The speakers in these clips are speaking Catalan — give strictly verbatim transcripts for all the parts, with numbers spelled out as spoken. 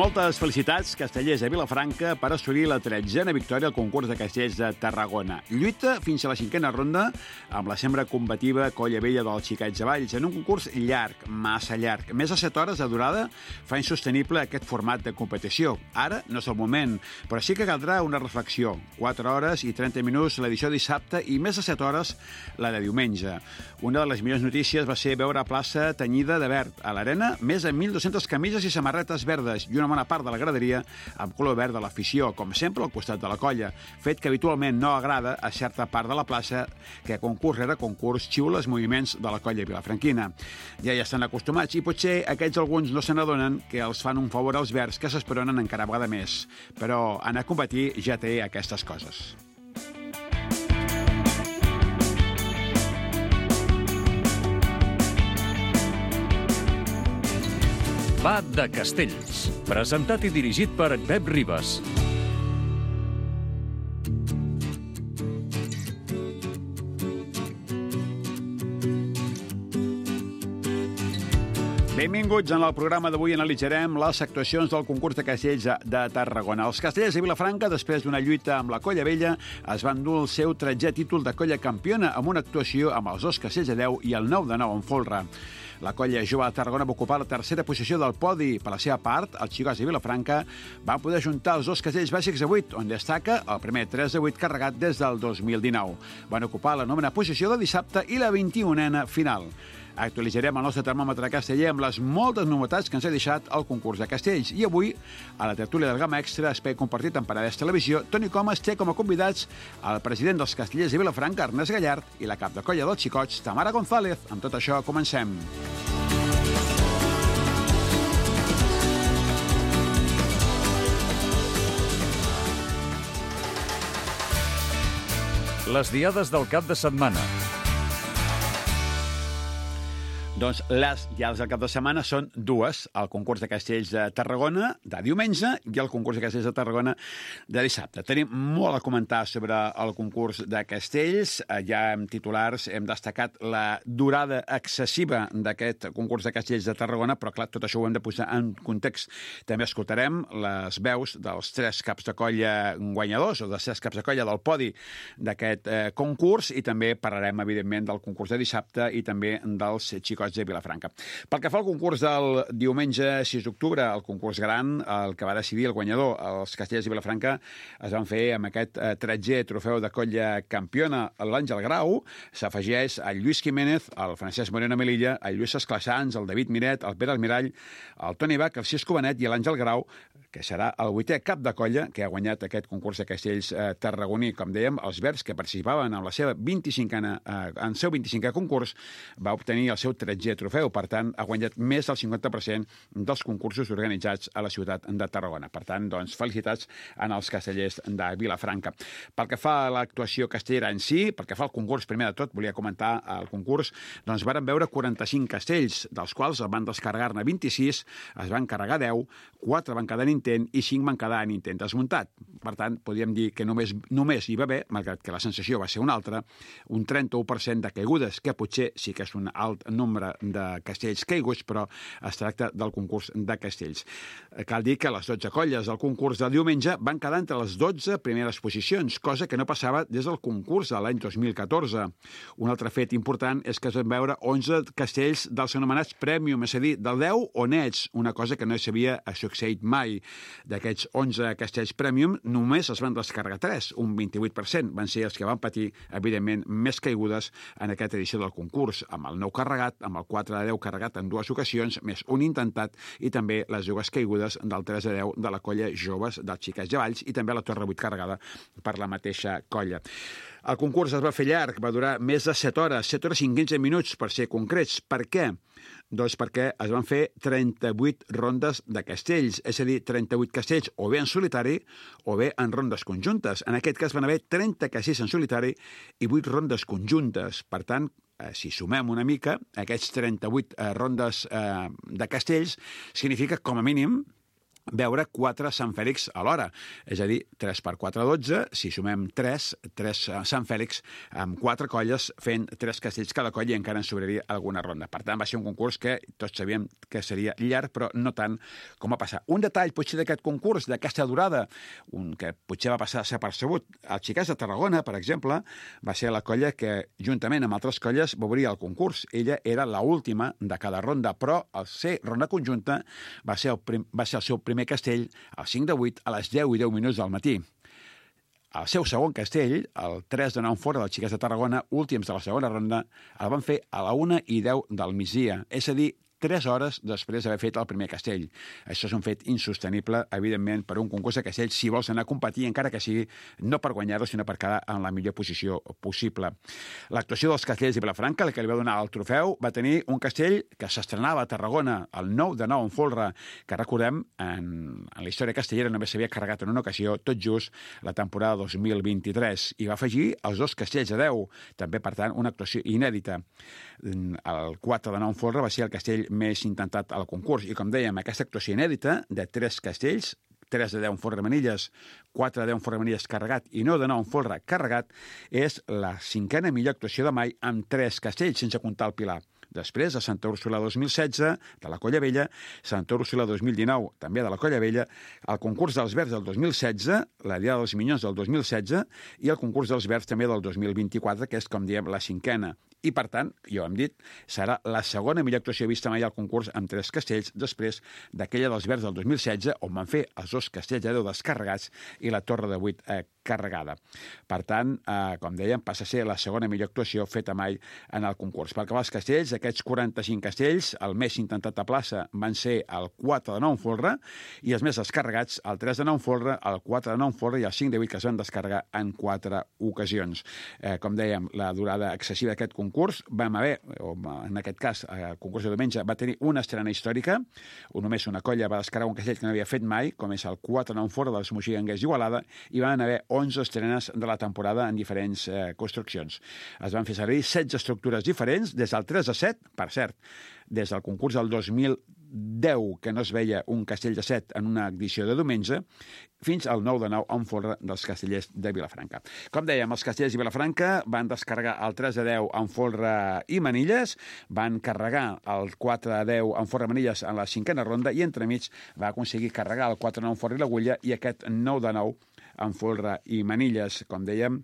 Moltes felicitats, castellers de Vilafranca, per assolir la tretzena victòria al concurs de castells de Tarragona. Lluita fins a la cinquena ronda amb la sembra combativa Colla Vella dels Xiquets de Valls en un concurs llarg, massa llarg. Més de set hores de durada fa insostenible aquest format de competició. Ara no és el moment, però sí que caldrà una reflexió. quatre hores i trenta minuts l'edició de dissabte i més de set hores la de diumenge. Una de les millors notícies va ser veure a plaça tenyida de verd. A l'arena, més de mil dues-centes camises i samarretes verdes i una bona part de la graderia amb color verd de l'afició, com sempre al costat de la colla, fet que habitualment no agrada a certa part de la plaça que concurs rere concurs xiula els moviments de la colla vilafranquina. Ja hi estan acostumats i potser aquests alguns no se n'adonen que els fan un favor als verds que s'esperonen encara vegada més. Però anar a competir ja té aquestes coses. Va de Castells, presentat i dirigit per Pep Ribas. Benvinguts. En el programa d'avui analitzarem les actuacions del concurs de castells de Tarragona. Els castellers de Vilafranca, després d'una lluita amb la Colla Vella, es van dur el seu tretzè títol de colla campiona amb una actuació amb els dos castells de deu i el nou de nou en folre. La colla jove de Tarragona va ocupar la tercera posició del podi. Per la seva part, els xicots de Vilafranca van poder juntar els dos castells bàsics de vuit, on destaca el primer tres de vuit carregat des del dos mil dinou. Van ocupar la novena posició de dissabte i la vint-i-unena final. Actualitzarem el nostre termòmetre casteller amb les moltes novetats que ens ha deixat el concurs de castells. I avui, a la tertúlia del Gamma Extra, espai compartit amb Paradès Televisió, Toni Comas té com a convidats el president dels castellers de Vilafranca, Ernest Gallard, i la cap de colla dels xicots, Tamara González. Amb tot això, comencem. Les diades del cap de setmana. Doncs les diades del cap de setmana són dues, el concurs de castells de Tarragona de diumenge i el concurs de castells de Tarragona de dissabte. Tenim molt a comentar sobre el concurs de castells. Ja en titulars hem destacat la durada excessiva d'aquest concurs de castells de Tarragona, però clar, tot això ho hem de posar en context. També escoltarem les veus dels tres caps de colla guanyadors o dels tres caps de colla del podi d'aquest eh, concurs i també parlarem, evidentment, del concurs de dissabte i també dels xicots de Vilafranca. Pel que fa al concurs del diumenge sis d'octubre, el concurs gran, el que va decidir el guanyador, els castellers de Vilafranca, es van fer amb aquest eh, tretzè trofeu de colla campiona, l'Àngel Grau, s'afegeix el Lluís Jiménez, el Francesc Moreno Melilla, el Lluís Esclassans, el David Miret, el Pere Almirall, el Toni Bach, el Cisco Benet i l'Àngel Grau, que serà el vuitè cap de colla que ha guanyat aquest concurs de castells eh, tarragoní. Com dèiem, els verds que participaven en la seva vint-i-cinquena, eh, en seu vint-i-cinquè concurs va obtenir el seu tretzè trofeu. Per tant, ha guanyat més del cinquanta per cent dels concursos organitzats a la ciutat de Tarragona. Per tant, doncs, felicitats en els castellers de Vilafranca. Pel que fa a l'actuació castellera en si, pel que fa al concurs, primer de tot, volia comentar el concurs, doncs varen veure quaranta-cinc castells, dels quals van descarregar-ne vint-i-sis, es van carregar deu, quatre van quedar en intent i cinc van quedar en intent desmuntat. Per tant, podríem dir que només, només hi va haver, malgrat que la sensació va ser una altra, un trenta-u per cent de caigudes, que potser sí que és un alt nombre de castells caiguts, però es tracta del concurs de castells. Cal dir que les dotze colles del concurs de diumenge van quedar entre les dotze primeres posicions, cosa que no passava des del concurs de l'any dos mil catorze. Un altre fet important és que es van veure onze castells dels anomenats Premium, és a dir, del deu o nets, una cosa que no s'havia succeït mai. D'aquests onze castells Premium, només es van descarregar tres, un vint-i-vuit per cent. Van ser els que van patir, evidentment, més caigudes en aquesta edició del concurs, amb el nou carregat, amb el quatre de deu carregat en dues ocasions, més un intentat, i també les dues caigudes del tres de deu de la colla joves dels Xiquets de Valls i també la torre vuit carregada per la mateixa colla. El concurs es va fer llarg, va durar més de set hores, set hores i quinze minuts, per ser concrets. Per què? Doncs perquè es van fer trenta-vuit rondes de castells, és a dir, trenta-vuit castells o bé en solitari o bé en rondes conjuntes. En aquest cas van haver trenta castells en solitari i vuit rondes conjuntes. Per tant, eh, si sumem una mica, aquests trenta-vuit eh, rondes eh, de castells significa, com a mínim, veure quatre Sant Fèlix alhora. És a dir, tres per quatre, dotze. Si sumem tres, tres Sant Fèlix amb quatre colles fent tres castells cada colla i encara ens sobraria alguna ronda. Per tant, va ser un concurs que tots sabíem que seria llarg, però no tant com va passar. Un detall, potser, d'aquest concurs, d'aquesta durada, un que potser va passar a ser percebut. El Xiquets de Tarragona, per exemple, va ser la colla que, juntament amb altres colles, va obrir el concurs. Ella era l'última de cada ronda, però al ser ronda conjunta va ser el, prim, va ser el seu primer castell al cinc de vuit a les deu i deu minuts del matí. El seu segon castell, el tres de nou fora dels Xiquets de Tarragona, últims de la segona ronda, el van fer a la una i deu del migdia, és a dir, tres hores després d'haver fet el primer castell. Això és un fet insostenible, evidentment, per un concurs de castells, si vols anar a competir, encara que sigui no per guanyar-lo, sinó per quedar en la millor posició possible. L'actuació dels castells de Vilafranca, la que li va donar el trofeu, va tenir un castell que s'estrenava a Tarragona, el nou de nou en folre, que recordem, en, en la història castellera només s'havia carregat en una ocasió, tot just la temporada dos mil vint-i-tres, i va afegir els dos castells de deu, també, per tant, una actuació inèdita. El quatre de nou en folre va ser el castell més intentat al concurs. I, com dèiem, aquesta actuació inèdita de tres castells, tres de deu en folre manilles, quatre de deu en folre manilles carregat i nou de nou en folre carregat, és la cinquena millor actuació de mai amb tres castells, sense comptar el Pilar. Després, a Santa Úrsula dos mil setze, de la Colla Vella, Santa Úrsula dos mil dinou, també de la Colla Vella, el concurs dels Verds del dos mil setze, la Diada dels Minyons del dos mil setze i el concurs dels Verds també del dos mil vint-i-quatre, que és, com diem, la cinquena. I, per tant, ja ho hem dit, serà la segona millor actuació vista mai al concurs amb tres castells, després d'aquella dels Verds del dos mil setze, on van fer els dos castells de deu descarregats i la torre de vuit eh, carregada. Per tant, eh, com dèiem, passa a ser la segona millor actuació feta mai en el concurs. Pel que va als castells, aquests quaranta-cinc castells, el més intentat a plaça van ser el quatre de nou en folre i els més descarregats, el tres de nou en folre, el quatre de nou en folre i el cinc de vuit, que es van descarregar en quatre ocasions. Eh, com dèiem, la durada excessiva d'aquest concurs concurs vam haver, o en aquest cas, el concurs de diumenge va tenir una estrena històrica, o només una colla va descarregar un castell que no havia fet mai, com és el quatre nou fora dels Moixiganguers d'Igualada, i van haver onze estrenes de la temporada en diferents eh, construccions. Es van fer servir setze estructures diferents, des del tres a set, per cert, des del concurs del dos mil deu, que no es veia un castell de set en una edició de diumenge, fins al nou de nou en folre dels castellers de Vilafranca. Com dèiem, els castellers de Vilafranca van descarregar el tres de deu en folre i manilles, van carregar el quatre de deu en folre i manilles en la cinquena ronda i entremig va aconseguir carregar el quatre de nou en folre i l'agulla i aquest nou de nou en folre i manilles, com dèiem,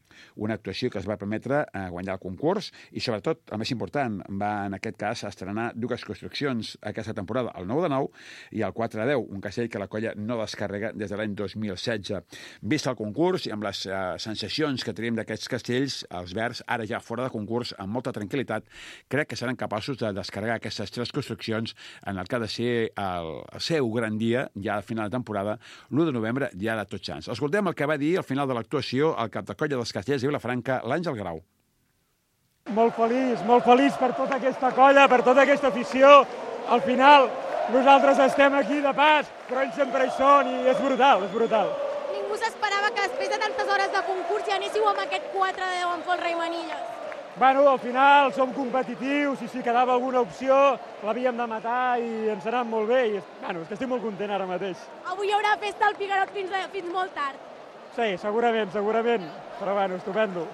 una actuació que es va permetre eh, guanyar el concurs i, sobretot, el més important, va, en aquest cas, estrenar dues construccions aquesta temporada, el nou de nou i el quatre de deu, un castell que la colla no descarrega des de l'any dos mil setze. Vist el concurs i amb les eh, sensacions que tenim d'aquests castells, els Verds, ara ja fora de concurs, amb molta tranquil·litat, crec que seran capaços de descarregar aquestes tres construccions en el que ha de ser el, el seu gran dia, ja al final de temporada, l'u de novembre, ja de tots sants. Escoltem el que va dir al final de l'actuació el cap de colla dels castellers de Vilafranca, l'Àngel Grau. Molt feliç, molt feliç per tota aquesta colla, per tota aquesta afició. Al final, nosaltres estem aquí de pas, però ells sempre hi són i és brutal, és brutal. Ningú s'esperava que després de tantes hores de concurs ja anéssiu amb aquest quatre de deu en folre i manilles. Bueno, al final som competitius i si quedava alguna opció l'havíem de matar i ens ha anat molt bé. I, bueno, és que estic molt content ara mateix. Avui hi haurà festa al Pigarot fins, a, fins molt tard. Sí, segurament, segurament, però bueno, estupendo.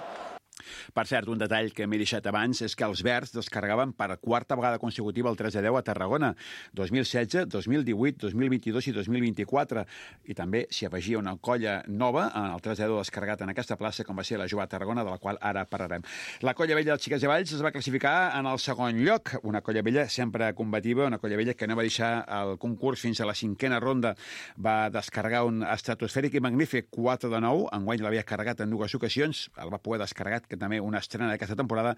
Per cert, un detall que m'he deixat abans és que els Verds descarregaven per quarta vegada consecutiva el tres de deu a Tarragona, dos mil setze, dos mil divuit, dos mil vint-i-dos i dos mil vint-i-quatre. I també s'hi afegia una colla nova en el tres de deu descarregat en aquesta plaça, com va ser la Jove Tarragona, de la qual ara parlarem. La colla vella dels Xiquets de Valls es va classificar en el segon lloc, una colla vella sempre combativa, una colla vella que no va deixar el concurs fins a la cinquena ronda. Va descarregar un estratosfèric i magnífic quatre de nou, enguany l'havia carregat en dues ocasions, el va poder descarregar, que també una estrena d'aquesta temporada.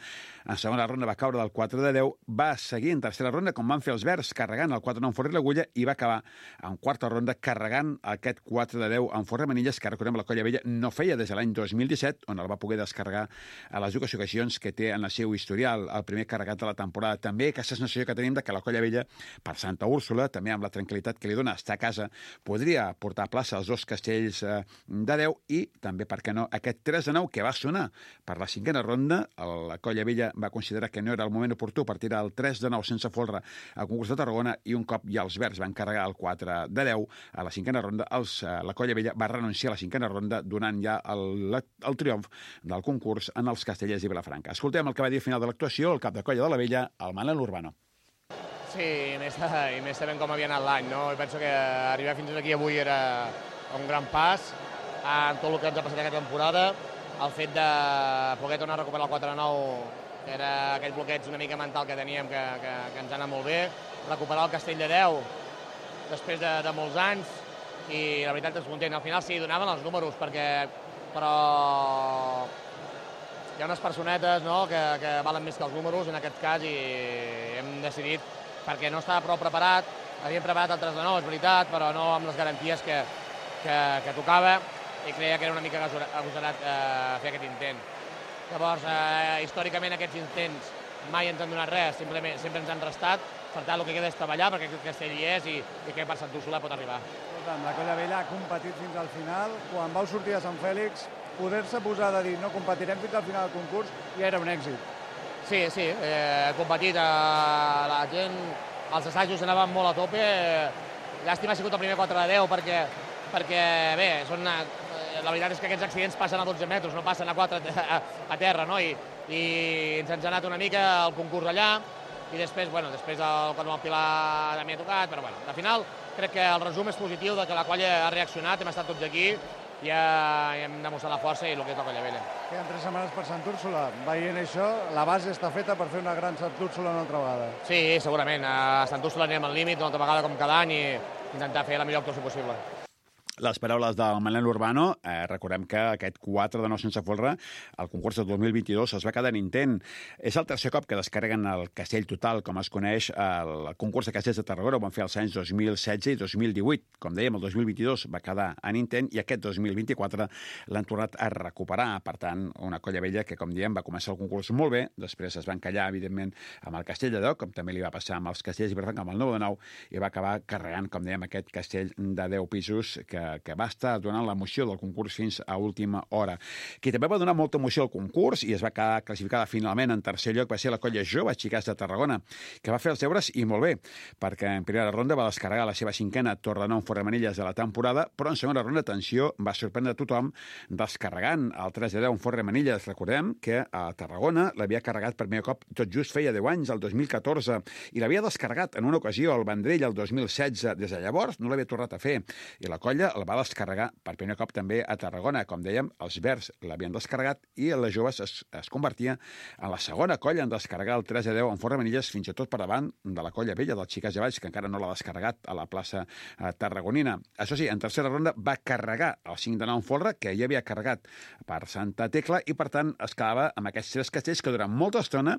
En segona ronda va caure del quatre de deu, va seguir en tercera ronda, com van fer els Verds, carregant el quatre de nou en folre i l'agulla, i va acabar en quarta ronda carregant aquest quatre de deu en folre i manilles, que recordem la colla vella no feia des de l'any dos mil disset, on el va poder descarregar a les dues ocasions que té en el seu historial, el primer carregat de la temporada. També aquesta sensació que tenim de que la colla vella, per Santa Úrsula, també amb la tranquil·litat que li dona estar a casa, podria portar a plaça els dos castells eh, de deu i també, per què no, aquest tres de nou que va sonar per la cinquena cinquena ronda. La Colla Vella va considerar que no era el moment oportú per tirar el tres de nou sense folre al concurs de Tarragona i un cop ja els verds van carregar el quatre de deu a la cinquena ronda, els, la Colla Vella va renunciar a la cinquena ronda donant ja el, el triomf del concurs en els Castellers i Vilafranca. Escoltem el que va dir al final de l'actuació el cap de colla de la Vella, el Manel Urbano. Sí, i més, i més sabent com havia anat l'any, no? I penso que arribar fins aquí avui era un gran pas en tot el que ens ha passat aquesta temporada. El fet de poder tornar a recuperar el quatre a nou, que era aquell bloqueig una mica mental que teníem, que, que, que ens ha anat molt bé. Recuperar el Castell de deu després de, de molts anys, i la veritat és content. Al final sí, donaven els números, perquè, però hi ha unes personetes, no?, que, que valen més que els números en aquest cas, i hem decidit, perquè no estava prou preparat, havíem preparat el tres de nou, és veritat, però no amb les garanties que, que, que tocava, i creia que era una mica agosarat eh, fer aquest intent. Llavors, eh, històricament aquests intents mai ens han donat res, simplement, sempre ens han restat. Per tant, el que queda és treballar, perquè aquest castell hi és i, i que per Sant Úrsula pot arribar. La Colla Vella ha competit fins al final. Quan vau sortir a Sant Fèlix, poder-se posar de dir no competirem fins al final del concurs ja era un èxit. Sí, sí, eh, he competit, eh, la gent, els assajos anaven molt a tope. Llàstima ha sigut el primer quatre de deu, perquè, perquè bé, són una, la veritat és que aquests accidents passen a dotze metres, no passen a quatre a, a terra, no? I, i ens ha anat una mica el concurs allà, i després, bueno, després el, quan el Pilar també ha tocat, però bueno, al final crec que el resum és positiu de que la colla ha reaccionat, hem estat tots aquí, i ja hem demostrat la força i el que és la Colla Vella. Queden tres setmanes per Sant Úrsula. Veient això, la base està feta per fer una gran Sant Úrsula una altra vegada. Sí, segurament. A Sant Úrsula anirem al límit una altra vegada com cada any i intentar fer la millor actuació possible. Les paraules del Manel Urbano, eh, recordem que aquest quatre de nou sense folre, el concurs del dos mil vint-i-dos es va quedar en intent. És el tercer cop que descarreguen el castell total, com es coneix, el concurs de castells de Tarragona. Ho van fer els anys dos mil setze i dos mil divuit. Com dèiem, el dos mil vint-i-dos va quedar en intent i aquest dos mil vint-i-quatre l'han tornat a recuperar. Per tant, una Colla Vella que, com diem, va començar el concurs molt bé, després es va encallar, evidentment, amb el castell de deu, com també li va passar amb els castells i per tant amb el nou de nou, i va acabar carregant, com dèiem, aquest castell de deu pisos que que va estar donant l'emoció del concurs fins a última hora. Qui també va donar molta emoció al concurs i es va quedar classificada finalment en tercer lloc va ser la Colla Jove Xiquets de Tarragona, que va fer els deures i molt bé, perquè en primera ronda va descarregar la seva cinquena torre de nou Forremanilles de la temporada, però en segona ronda, atenció, va sorprendre a tothom descarregant el tres de deu en Forremanilles. Recordem que a Tarragona l'havia carregat per primer cop tot just feia deu anys, el dos mil catorze, i l'havia descarregat en una ocasió al Vendrell el dos mil setze. Des de llavors no l'havia tornat a fer, i la colla el va descarregar per primer cop també a Tarragona. Com dèiem, els verds l'havien descarregat i les joves es, es convertia en la segona colla en descarregar el tres de deu en Forremanilles, fins i tot per davant de la Colla Vella, dels Xiquets de Valls, que encara no l'ha descarregat a la plaça eh, tarragonina. Això sí, en tercera ronda va carregar el cinc de nou en folre, que ja havia carregat per Santa Tecla, i per tant es quedava amb aquests tres castells que durant molta estona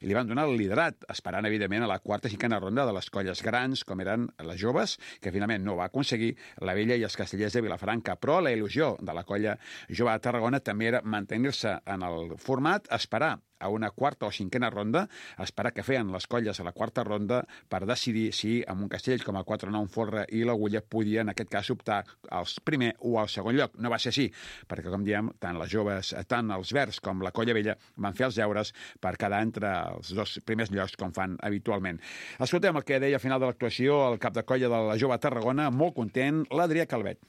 li van donar el liderat, esperant evidentment a la quarta i cinquena ronda de les colles grans, com eren les joves, que finalment no va aconseguir, la Vella i els castellers de Vilafranca. Però la il·lusió de la Colla Jove de Tarragona també era mantenir-se en el format, esperar a una quarta o cinquena ronda, esperar que feien les colles a la quarta ronda per decidir si amb un castell com el quatre nou en folre i l'Agulla podia, en aquest cas, optar al primer o al segon lloc. No va ser així, perquè, com diem, tant les joves, tant els verds com la Colla Vella van fer els deures per quedar entre els dos primers llocs, com fan habitualment. Escoltem el que deia al final de l'actuació el cap de colla de la Jove de Tarragona, molt content, l'Adrià Calvet.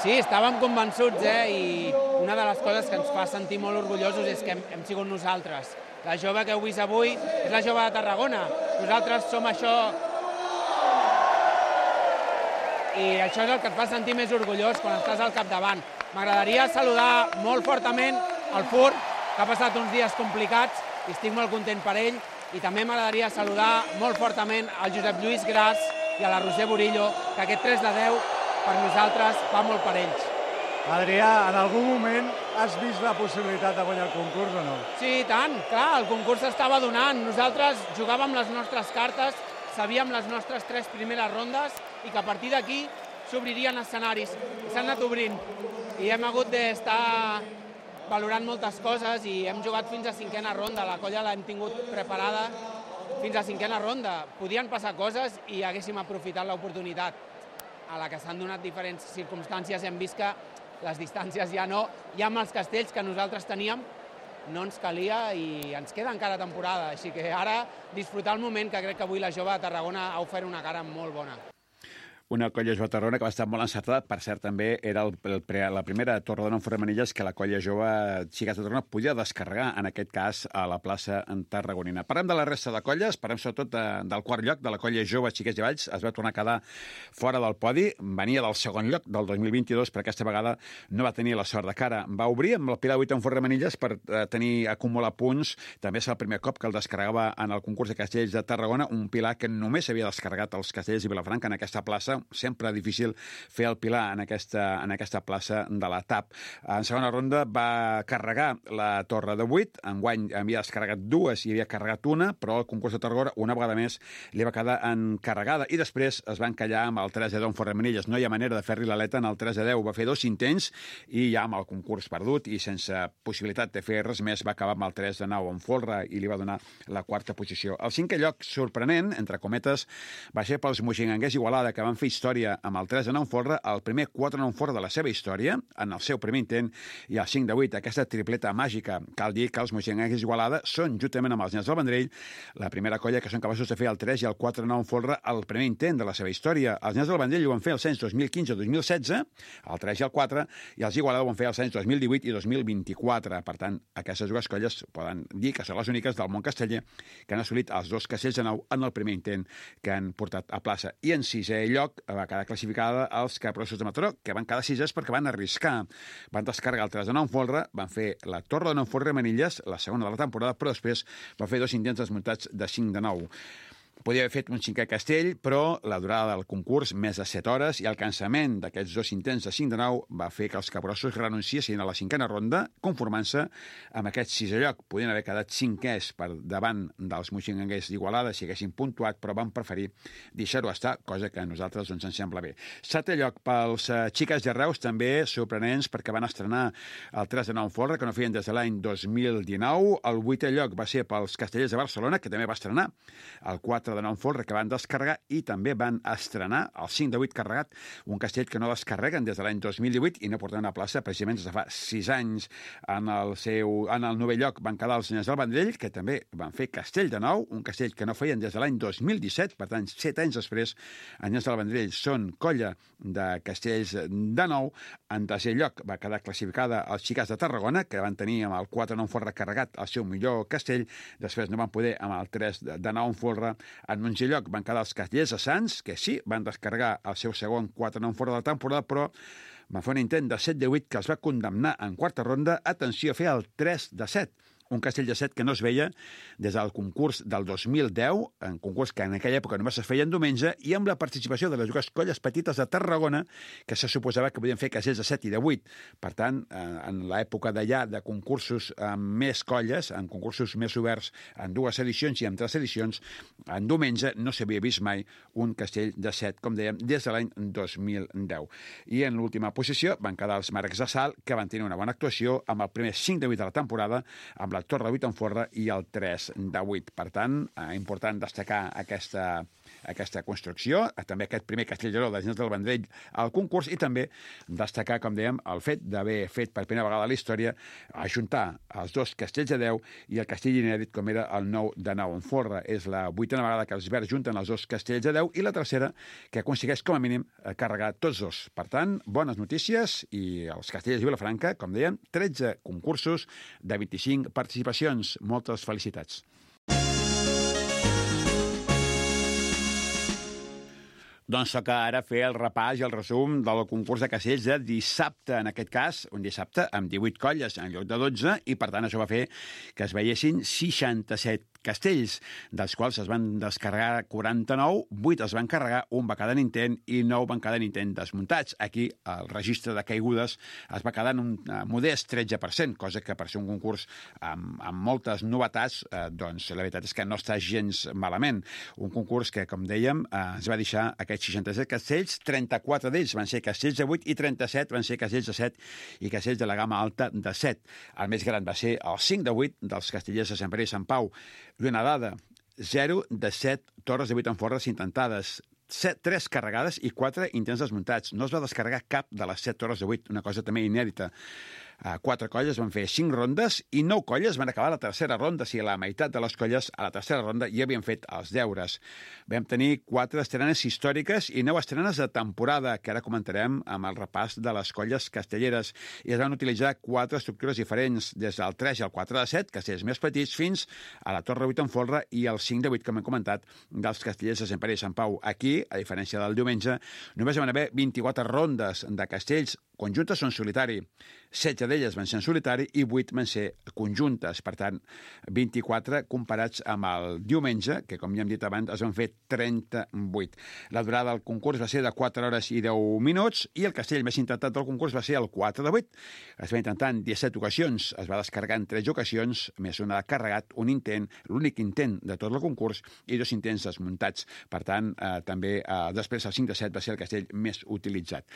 Sí, estàvem convençuts, eh? I una de les coses que ens fa sentir molt orgullosos és que hem, hem sigut nosaltres. La jove que heu vist avui és la Jove de Tarragona. Nosaltres som això. I això és el que et fa sentir més orgullós quan estàs al capdavant. M'agradaria saludar molt fortament el Fur, que ha passat uns dies complicats i estic molt content per ell. I també m'agradaria saludar molt fortament al Josep Lluís Gras i a la Roser Burillo, que aquest tres de deu per nosaltres va molt per ells. Adrià, en algun moment has vist la possibilitat de guanyar el concurs o no? Sí, tant, clar, el concurs s'estava donant. Nosaltres jugàvem les nostres cartes, sabíem les nostres tres primeres rondes i que a partir d'aquí s'obririen escenaris. S'han anat obrint i hem hagut d'estar valorant moltes coses i hem jugat fins a cinquena ronda. La colla l'hem tingut preparada fins a cinquena ronda. Podien passar coses i haguéssim aprofitat l'oportunitat. A la que s'han donat diferents circumstàncies hem vist que les distàncies ja no, ja amb els castells que nosaltres teníem no ens calia i ens queda encara temporada. Així que ara disfrutar el moment, que crec que avui la jove de Tarragona ha ofert una cara molt bona. Una colla jove de Tarragona que va estar molt encertada. Per cert, també era el, el, la primera torre de nou Forremanilles que la colla jove Xiques de Tarragona podia descarregar, en aquest cas, a la plaça en tarragonina. Parlem de la resta de colles, parlem sobretot de, del quart lloc, de la colla jove Xiques i Valls. Es va tornar a quedar fora del podi. Venia del segon lloc del dos mil vint-i-dos, però aquesta vegada no va tenir la sort de cara. Va obrir amb el Pilar vuit en Forremanilles per eh, tenir acumular punts. També és el primer cop que el descarregava en el concurs de castells de Tarragona, un Pilar que només havia descarregat els castells i Vilafranca en aquesta plaça. Sempre difícil fer el Pilar en aquesta, en aquesta plaça de la T A P. En segona ronda va carregar la torre de vuit, enguany havia descarregat dues i havia carregat una, però el concurs de Tarragona una vegada més li va quedar encarregada i després es va encallar amb el tres a deu en Forremanilles. No hi ha manera de fer-li l'aleta en el tres a deu. Va fer dos intents i ja amb el concurs perdut i sense possibilitat de fer res més va acabar amb el tres a nou en Folra i li va donar la quarta posició. El cinquè lloc sorprenent, entre cometes, va ser pels moixinganguers Igualada, que van fer història amb el tres a nou en Folra, el primer quatre a nou en Folra de la seva història, en el seu primer intent, i el cinc de vuit, aquesta tripleta màgica. Cal dir que els moixinganguers Igualada són, juntament amb els Nens del Vendrell, la primera colla que són capaços de fer el tres i el quatre a nou en Folra el primer intent de la seva història. Els Nens del Vendrell ho van fer els anys dos mil quinze dos mil setze, el tres i el quatre, i els Igualada ho van fer els anys dos mil divuit i dos mil vint-i-quatre. Per tant, aquestes dues colles poden dir que són les úniques del món casteller que han assolit els dos castells de nou en el primer intent que han portat a plaça. I en sisè lloc va quedar classificada els Capgrossos de Mataró, que van quedar sisès perquè van arriscar. Van descarregar el tres de nou en Folra, van fer la torre de nou Forremanilles, la segona de la temporada, però després van fer dos intents desmuntats de cinc de nou. Podia haver fet un cinquè castell, però la durada del concurs, més de set hores, i el cansament d'aquests dos intents de cinc de nou va fer que els Capgrossos renunciessin a la cinquena ronda, conformant-se amb aquest sisè lloc. Podien haver quedat cinquers per davant dels moixinganguers d'Igualada si haguessin puntuat, però van preferir deixar-ho estar, cosa que a nosaltres doncs, ens sembla bé. Setè lloc pels uh, Xiques de Reus, també sorprenents perquè van estrenar el tres de nou en Folra, que no feien des de l'any dos mil dinou. El vuitè lloc va ser pels Castellers de Barcelona, que també va estrenar el quatre de nou en Folra, que van descarregar, i també van estrenar el cinc de vuit carregat, un castell que no descarreguen des de l'any dos mil divuit i no porten una plaça precisament des de fa sis anys. En el, seu, en el novè lloc van quedar els Nens del Vendrell, que també van fer castell de nou, un castell que no feien des de l'any dos mil disset, per tant, set anys després, els Nens del Vendrell són colla de castells de nou. En tercer lloc va quedar classificada els Xiques de Tarragona, que van tenir amb el quatre nou en Folra carregat el seu millor castell, després no van poder amb el tres de nou en Folra. En un lloc van quedar els Castellers de Sants, que sí, van descarregar el seu segon quatre nou fora de la temporada, però van fer un intent de set de vuit que els va condemnar en quarta ronda. Atenció, a fer el tres de set. Un castell de set que no es veia des del concurs del dos mil deu, un concurs que en aquella època només es feia en diumenge, i amb la participació de les dues colles petites de Tarragona, que se suposava que podien fer castells de set i de vuit. Per tant, en l'època d'allà de concursos amb més colles, en concursos més oberts, en dues edicions i en tres edicions, en diumenge no s'havia vist mai un castell de set, com dèiem, des de l'any dos mil deu. I en l'última posició van quedar els Marcs de Salt, que van tenir una bona actuació amb el primer cinc de vuit de la temporada, amb la torre de vuit en Folra i el tres de vuit. Per tant, eh, important destacar aquesta, aquesta construcció, també aquest primer castell de nou dels Nens del Vendrell al concurs, i també destacar, com dèiem, el fet d'haver fet per primera vegada a la història ajuntar els dos castells de deu i el castell inèdit com era el nou de nou en Folra. És la vuitena vegada que els verds junten els dos castells de deu i la tercera que aconsegueix com a mínim carregar tots dos. Per tant, bones notícies, i els castellers de Vilafranca, com dèiem, tretze concursos de vint-i-cinc participacions. Moltes felicitats. Doncs toca ara fer el repàs i el resum del concurs de castells de dissabte. En aquest cas, un dissabte amb divuit colles en lloc de dotze, i per tant això va fer que es veiessin seixanta-set castells, dels quals es van descarregar quaranta-nou, vuit es van carregar, un va quedar en intent i nou van quedar en intent desmuntats. Aquí el registre de caigudes es va quedar en un modest tretze per cent, cosa que per ser un concurs amb, amb moltes novetats, eh, doncs la veritat és que no està gens malament. Un concurs que, com dèiem, eh, ens va deixar aquests seixanta-set castells, trenta-quatre d'ells van ser castells de vuit i trenta-set van ser castells de set i castells de la gamma alta de set. El més gran va ser el cinc de vuit dels castellers de Sant Pere i Sant Pau. I una dada, zero de set torres de vuit en Folra intentades, tres carregades i quatre intents desmuntats. No es va descarregar cap de les set torres de vuit, una cosa també inèdita. Quatre colles van fer cinc rondes i nou colles van acabar la tercera ronda. O sigui, la meitat de les colles a la tercera ronda ja havien fet els deures. Vam tenir quatre estrenes històriques i nou estrenes de temporada, que ara comentarem amb el repàs de les colles castelleres. I es van utilitzar quatre estructures diferents, des del tres i el quatre de set, castellers més petits, fins a la Torre vuit en folre i el cinc de vuit, com hem comentat, dels castellers de Sant Pere i Sant Pau. Aquí, a diferència del diumenge, només van haver vint-i-quatre rondes de castells conjuntes o en solitari. setze d'elles van ser en solitari i vuit van ser conjuntes. Per tant, vint-i-quatre comparats amb el diumenge, que, com ja hem dit abans, es van fer trenta-vuit. La durada del concurs va ser de quatre hores i deu minuts i el castell més intentat del concurs va ser el quatre de vuit. Es va intentar en disset ocasions, es va descarregar en tretze ocasions, més una de carregat, un intent, l'únic intent de tot el concurs, i dos intents desmuntats. Per tant, eh, també eh, després el cinc de set va ser el castell més utilitzat.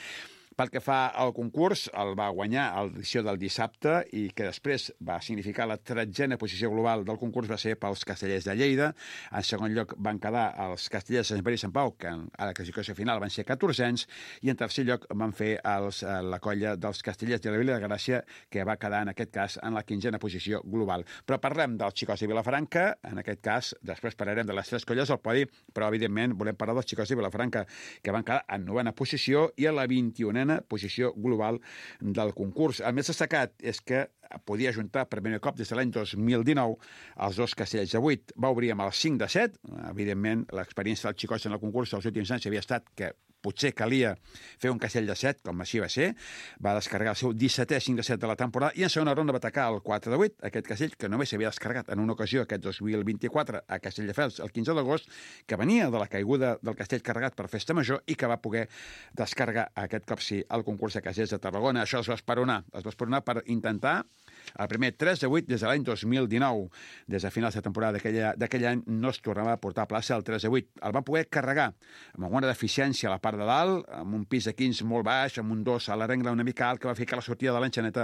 Pel que fa al concurs, el va guanyar a l'edició del dissabte i que després va significar la tretzena posició global del concurs va ser pels castellers de Lleida. En segon lloc van quedar els castellers de Sant Pere i Sant Pau, que a la classificació final van ser catorzens, i en tercer lloc van fer els, la colla dels castellers de la Vila de Gràcia, que va quedar en aquest cas en la quinzena posició global. Però parlem dels xicots de Vilafranca, en aquest cas, després parlarem de les tres colles al podi, però evidentment volem parlar dels xicots de Vilafranca, que van quedar en novena posició i a la vint-i-unena posició global del concurs. El més destacat és que podia ajuntar per primer cop des de l'any dos mil dinou els dos castells de vuit. Va obrir amb el cinc de set. Evidentment, l'experiència dels xicots en el concurs dels últims anys havia estat que potser calia fer un castell de set, com així va ser. Va descarregar el seu dissetè cinc de set de la temporada i en segona ronda va atacar el quatre de vuit, aquest castell que només s'havia descarregat en una ocasió aquest dos mil vint-i-quatre a Castelldefels el quinze d'agost, que venia de la caiguda del castell carregat per Festa Major i que va poder descarregar aquest cop sí al concurs de castells de Tarragona. Això es va esperonar, es va esperonar per intentar el primer tres de vuit des de l'any dos mil dinou. Des de finals de temporada d'aquell any no es tornava a portar a plaça el tres de vuit. El van poder carregar amb alguna deficiència a la part de dalt, amb un pis de quinze molt baix, amb un dos a la rengla una mica alt, que va fer que la sortida de l'enxaneta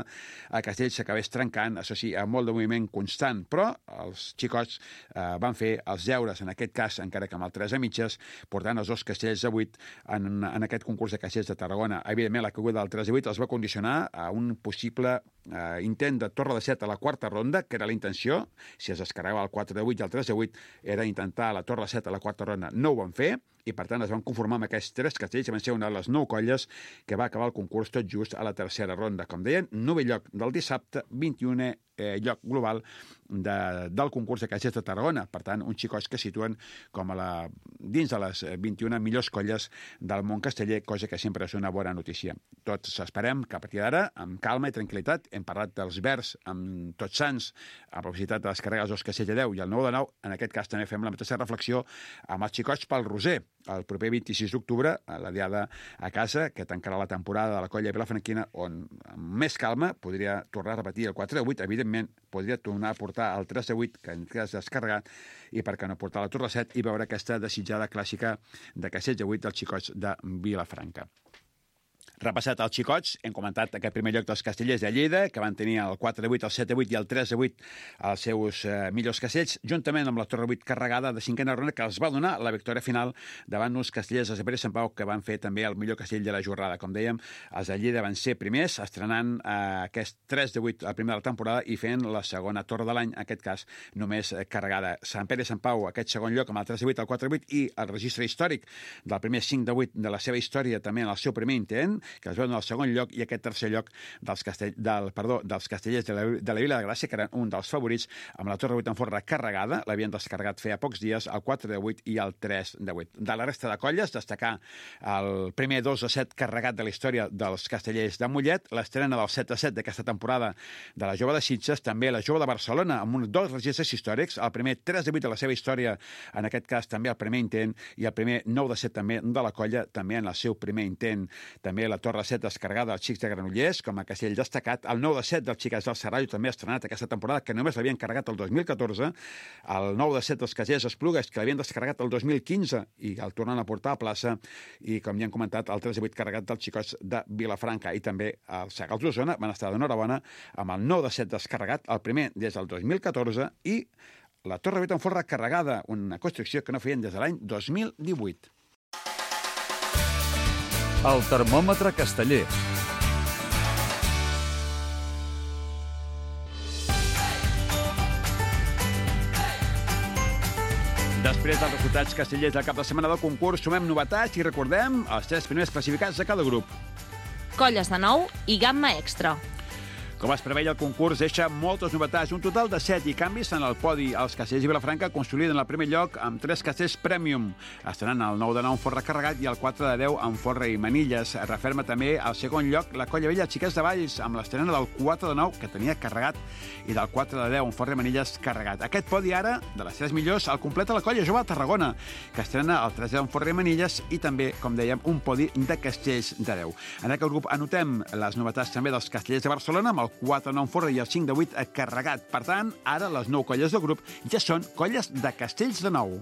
a Castell s'acabés trencant, això sí, amb molt de moviment constant. Però els xicots eh, van fer els deures, en aquest cas, encara que amb el tres a mitges, portant els dos castells de vuit en, en aquest concurs de castells de Tarragona. Evidentment, la caiguda del tres de vuit els va condicionar a un possible eh, intent de torre de set a la quarta ronda, que era la intenció. Si es descarregava el quatre de vuit i el tres de vuit era intentar la torre de set a la quarta ronda. No ho van fer i, per tant, es van conformar amb aquests tres castells, que van ser una de les nou colles que va acabar el concurs tot just a la tercera ronda. Com deien, novè lloc del dissabte, vint-i-unè eh, lloc global de, del concurs de castells de Tarragona. Per tant, uns xicots que situen com a la, dins de les vint-i-una millors colles del món casteller, cosa que sempre és una bona notícia. Tots esperem que a partir d'ara, amb calma i tranquil·litat, hem parlat dels Verds amb Tots Sants, amb la possibilitat de descarregar els dos castells de deu i el nou de nou. En aquest cas també fem la mateixa reflexió amb els xicots pel Roser. El proper vint-i-sis d'octubre, a la diada a casa, que tancarà la temporada de la colla vilafranquina, on amb més calma podria tornar a repetir el quatre de vuit, evidentment podria tornar a portar el tres de vuit, que en cas descarregat, i per què no portar la torre set i veure aquesta desitjada clàssica de castells de vuit dels xicots de Vilafranca. Repassat els xicots, hem comentat aquest primer lloc dels castellers de Lleida, que van tenir el quatre de vuit, el set de vuit i el tres de vuit als seus eh, millors castells, juntament amb la torre vuit carregada de cinquena ronda, que els va donar la victòria final davant uns castellers de Sant Pere i Sant Pau, que van fer també el millor castell de la jornada. Com dèiem, els de Lleida van ser primers, estrenant eh, aquest tres de vuit al primer de la temporada i fent la segona torre de l'any, en aquest cas només eh, carregada. Sant Pere i Sant Pau, aquest segon lloc amb el tres de vuit, el quatre de vuit i el registre històric del primer cinc de vuit de la seva història també en el seu primer intent, que es va donar el segon lloc, i aquest tercer lloc dels, castell, del, perdó, dels castellers de la, de la Vila de Gràcia, que eren un dels favorits, amb la torre vuit en forra carregada, l'havien descarregat feia pocs dies, el quatre de vuit i el tres de vuit. De la resta de colles, destacar el primer dos de set carregat de la història dels castellers de Mollet, l'estrena del set de set d'aquesta temporada de la Jove de Sitges, també la Jove de Barcelona, amb uns dos registres històrics, el primer tres de vuit de la seva història, en aquest cas també el primer intent, i el primer nou de set també de la colla, també en el seu primer intent. També la torre set descarregada dels xics de Granollers, com a castell destacat, el nou de set dels xiques del Serrallo, també estrenat aquesta temporada, que només l'havien carregat el dos mil catorze, el nou de set dels castellers Esplugues, que l'havien descarregat el dos mil quinze i el tornen a portar a plaça, i com ja hem comentat, el tres de vuit carregat dels xicots de Vilafranca, i també els Segals d'Osona van estar d'enhorabona amb el nou de set descarregat, el primer des del dos mil catorze, i la torre vuit en forra carregada, una construcció que no feien des de l'any dos mil divuit. El termòmetre casteller. Després dels resultats castellers del cap de setmana del concurs, sumem novetats i recordem els tres primers classificats de cada grup. Colles de nou i gamma extra. Com es preveia, el concurs deixa moltes novetats, un total de set i canvis en el podi. Els castellers i Vilafranca consoliden el primer lloc amb tres castells Premium, estrenant el nou de nou en forra carregat i el quatre de deu en forra i manilles. Referma també el segon lloc la Colla Vella Xiquets de Valls, amb l'estrena del quatre de nou, que tenia carregat, i del quatre de deu en forra i manilles carregat. Aquest podi ara, de les tres millors, el completa la Colla Jove de Tarragona, que estrena el tres de deu en forra i manilles i també, com dèiem, un podi de castells de deu. En aquest grup anotem les novetats també dels castellers de Barcelona, amb el quatre de nou en forra i el cinc de vuit carregat. Per tant, ara les nou colles del grup ja són colles de castells de nou.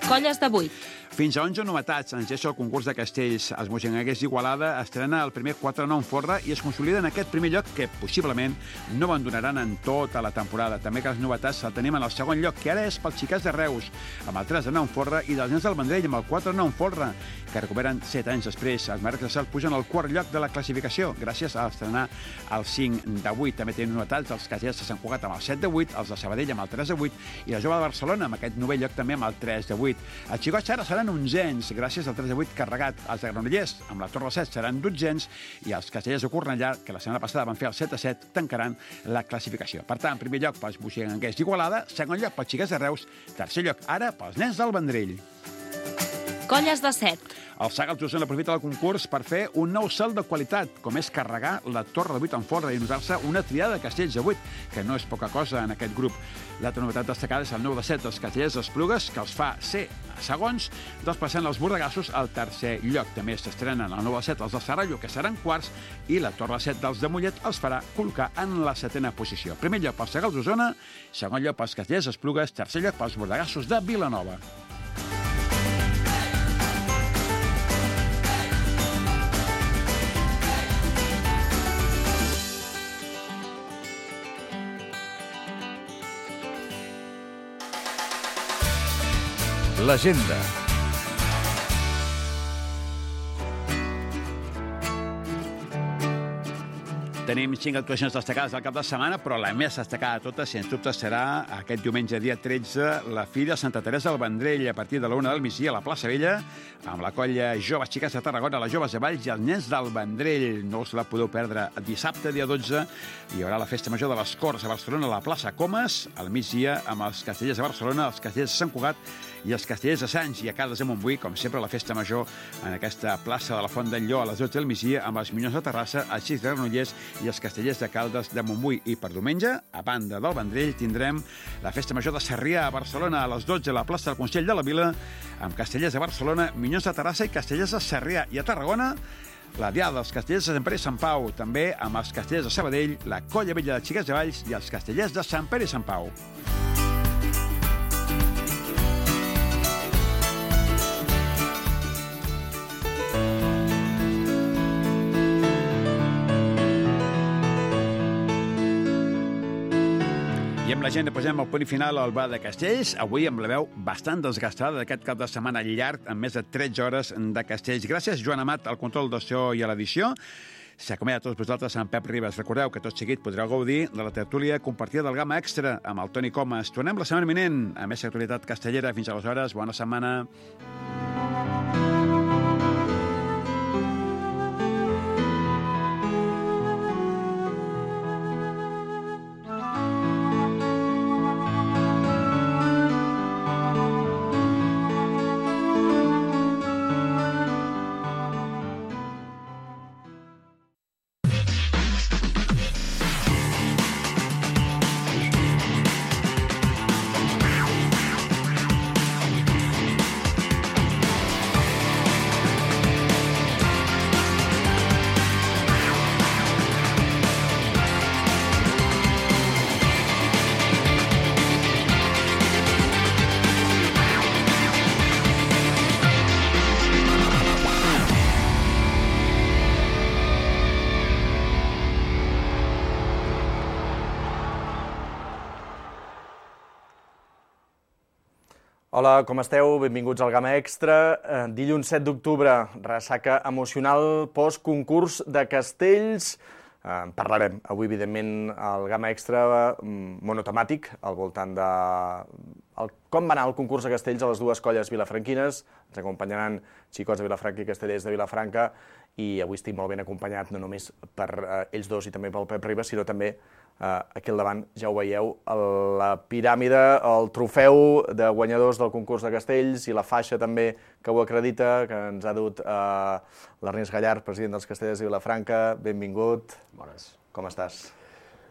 Colles de vuit. Fins a onze novetats ens deixa el concurs de castells. Els Moixanguers d'Igualada estrena el primer quatre de nou en forra i es consolida en aquest primer lloc que possiblement no abandonaran en tota la temporada. També que les novetats el tenim en el segon lloc, que ara és pels Xiquets de Reus, amb el tres de nou en forra, i dels Nens del Vendrell amb el quatre de nou en forra, que recuperen set anys després. Els Marcs de Salt pugen al quart lloc de la classificació, gràcies a estrenar el cinc de vuit. També tenen novetats els castellers de Sant Cugat amb el set de vuit, els de Sabadell amb el tres de vuit i la Jove de Barcelona amb aquest novè lloc també amb el tres de vuit. Els Xicots ara seran onzens, gràcies al tres de vuit carregat. Els de Granollers, amb la Torre set, seran dotzens, i els castellers de Cornellà, que la setmana passada van fer el set a set, tancaran la classificació. Per tant, primer lloc pels Moixanguers d'Igualada, segon lloc pels Xiquets de Reus, tercer lloc ara pels Nens del Vendrell. Colles de set. El Sagals d'Osona aprofita el concurs per fer un nou salt de qualitat, com és carregar la Torre de vuit en forra i notar-se una triada de castells de vuit, que no és poca cosa en aquest grup. L'altra novetat destacada és el nou de set dels castellers d'Esplugues, que els fa ser segons, desplaçant els bordegassos al tercer lloc. També s'estrenen el nou de set els de Sarallo, que seran quarts, i la Torre set dels de Mollet els farà col·locar en la setena posició. Primer lloc pels Sagals d'Osona, segon lloc pels castellers d'Esplugues, tercer lloc pels bordegassos de Vilanova. L'agenda. Tenim cinc actuacions destacades del cap de setmana, però la més destacada de totes, sens dubte, serà aquest diumenge, dia tretze, la Fira de Santa Teresa del Vendrell, a partir de la una del migdia a la plaça Vella, amb la colla Joves Xiques de Tarragona, les Joves de Valls i els Nens del Vendrell. No us la podeu perdre. Dissabte, dia dotze, hi haurà la Festa Major de les Corts a Barcelona, a la plaça Comas, al migdia, amb els castellers de Barcelona, els castellers de Sant Cugat i els castellers de Sants, i a Caldes de Montbui, com sempre, la Festa Major en aquesta plaça de la Font del Llor a les dotze del migdia, amb els Minyons de Terrassa, els Xics de Granollers i els castellers de Caldes de Montbui. I per diumenge, a banda del Vendrell, tindrem la Festa Major de Sarrià a Barcelona a les dotze a la plaça del Consell de la Vila, amb castellers de Barcelona, Minyons de Terrassa i castellers de Sarrià. I a Tarragona, la Diada dels castellers de Sant Pere i Sant Pau, també amb els castellers de Sabadell, la Colla Vella de Xiquets de Valls i els castellers de Sant Pere i Sant Pau. I amb l'agenda posem el punt final al bar de Castells, avui amb la veu bastant desgastada d'aquest cap de setmana llarg, amb més de tretze hores de Castells. Gràcies, Joan Amat, al control del so i a l'edició. S'acomiada a tots vosaltres amb Pep Ribas. Recordeu que tot seguit podreu gaudir de la tertúlia compartida del Gamma Extra amb el Toni Comas. Tornem la setmana vinent a més actualitat castellera. Fins aleshores, bona setmana. Hola, com esteu? Benvinguts al Gamma Extra. Dilluns set d'octubre, ressaca emocional post-concurs de Castells. En parlarem avui, evidentment, al Gamma Extra monotemàtic, al voltant de el, com va anar el concurs de castells a les dues colles vilafranquines. Ens acompanyaran xicots de Vilafranca i castellers de Vilafranca, i avui estic molt ben acompanyat, no només per eh, ells dos i també pel Pep Ribas, sinó també eh, aquí al davant, ja ho veieu, la piràmide, el trofeu de guanyadors del concurs de castells i la faixa també que ho acredita, que ens ha dut eh, l'Ernest Gallard, president dels castellers de Vilafranca. Benvingut. Bones. Com estàs?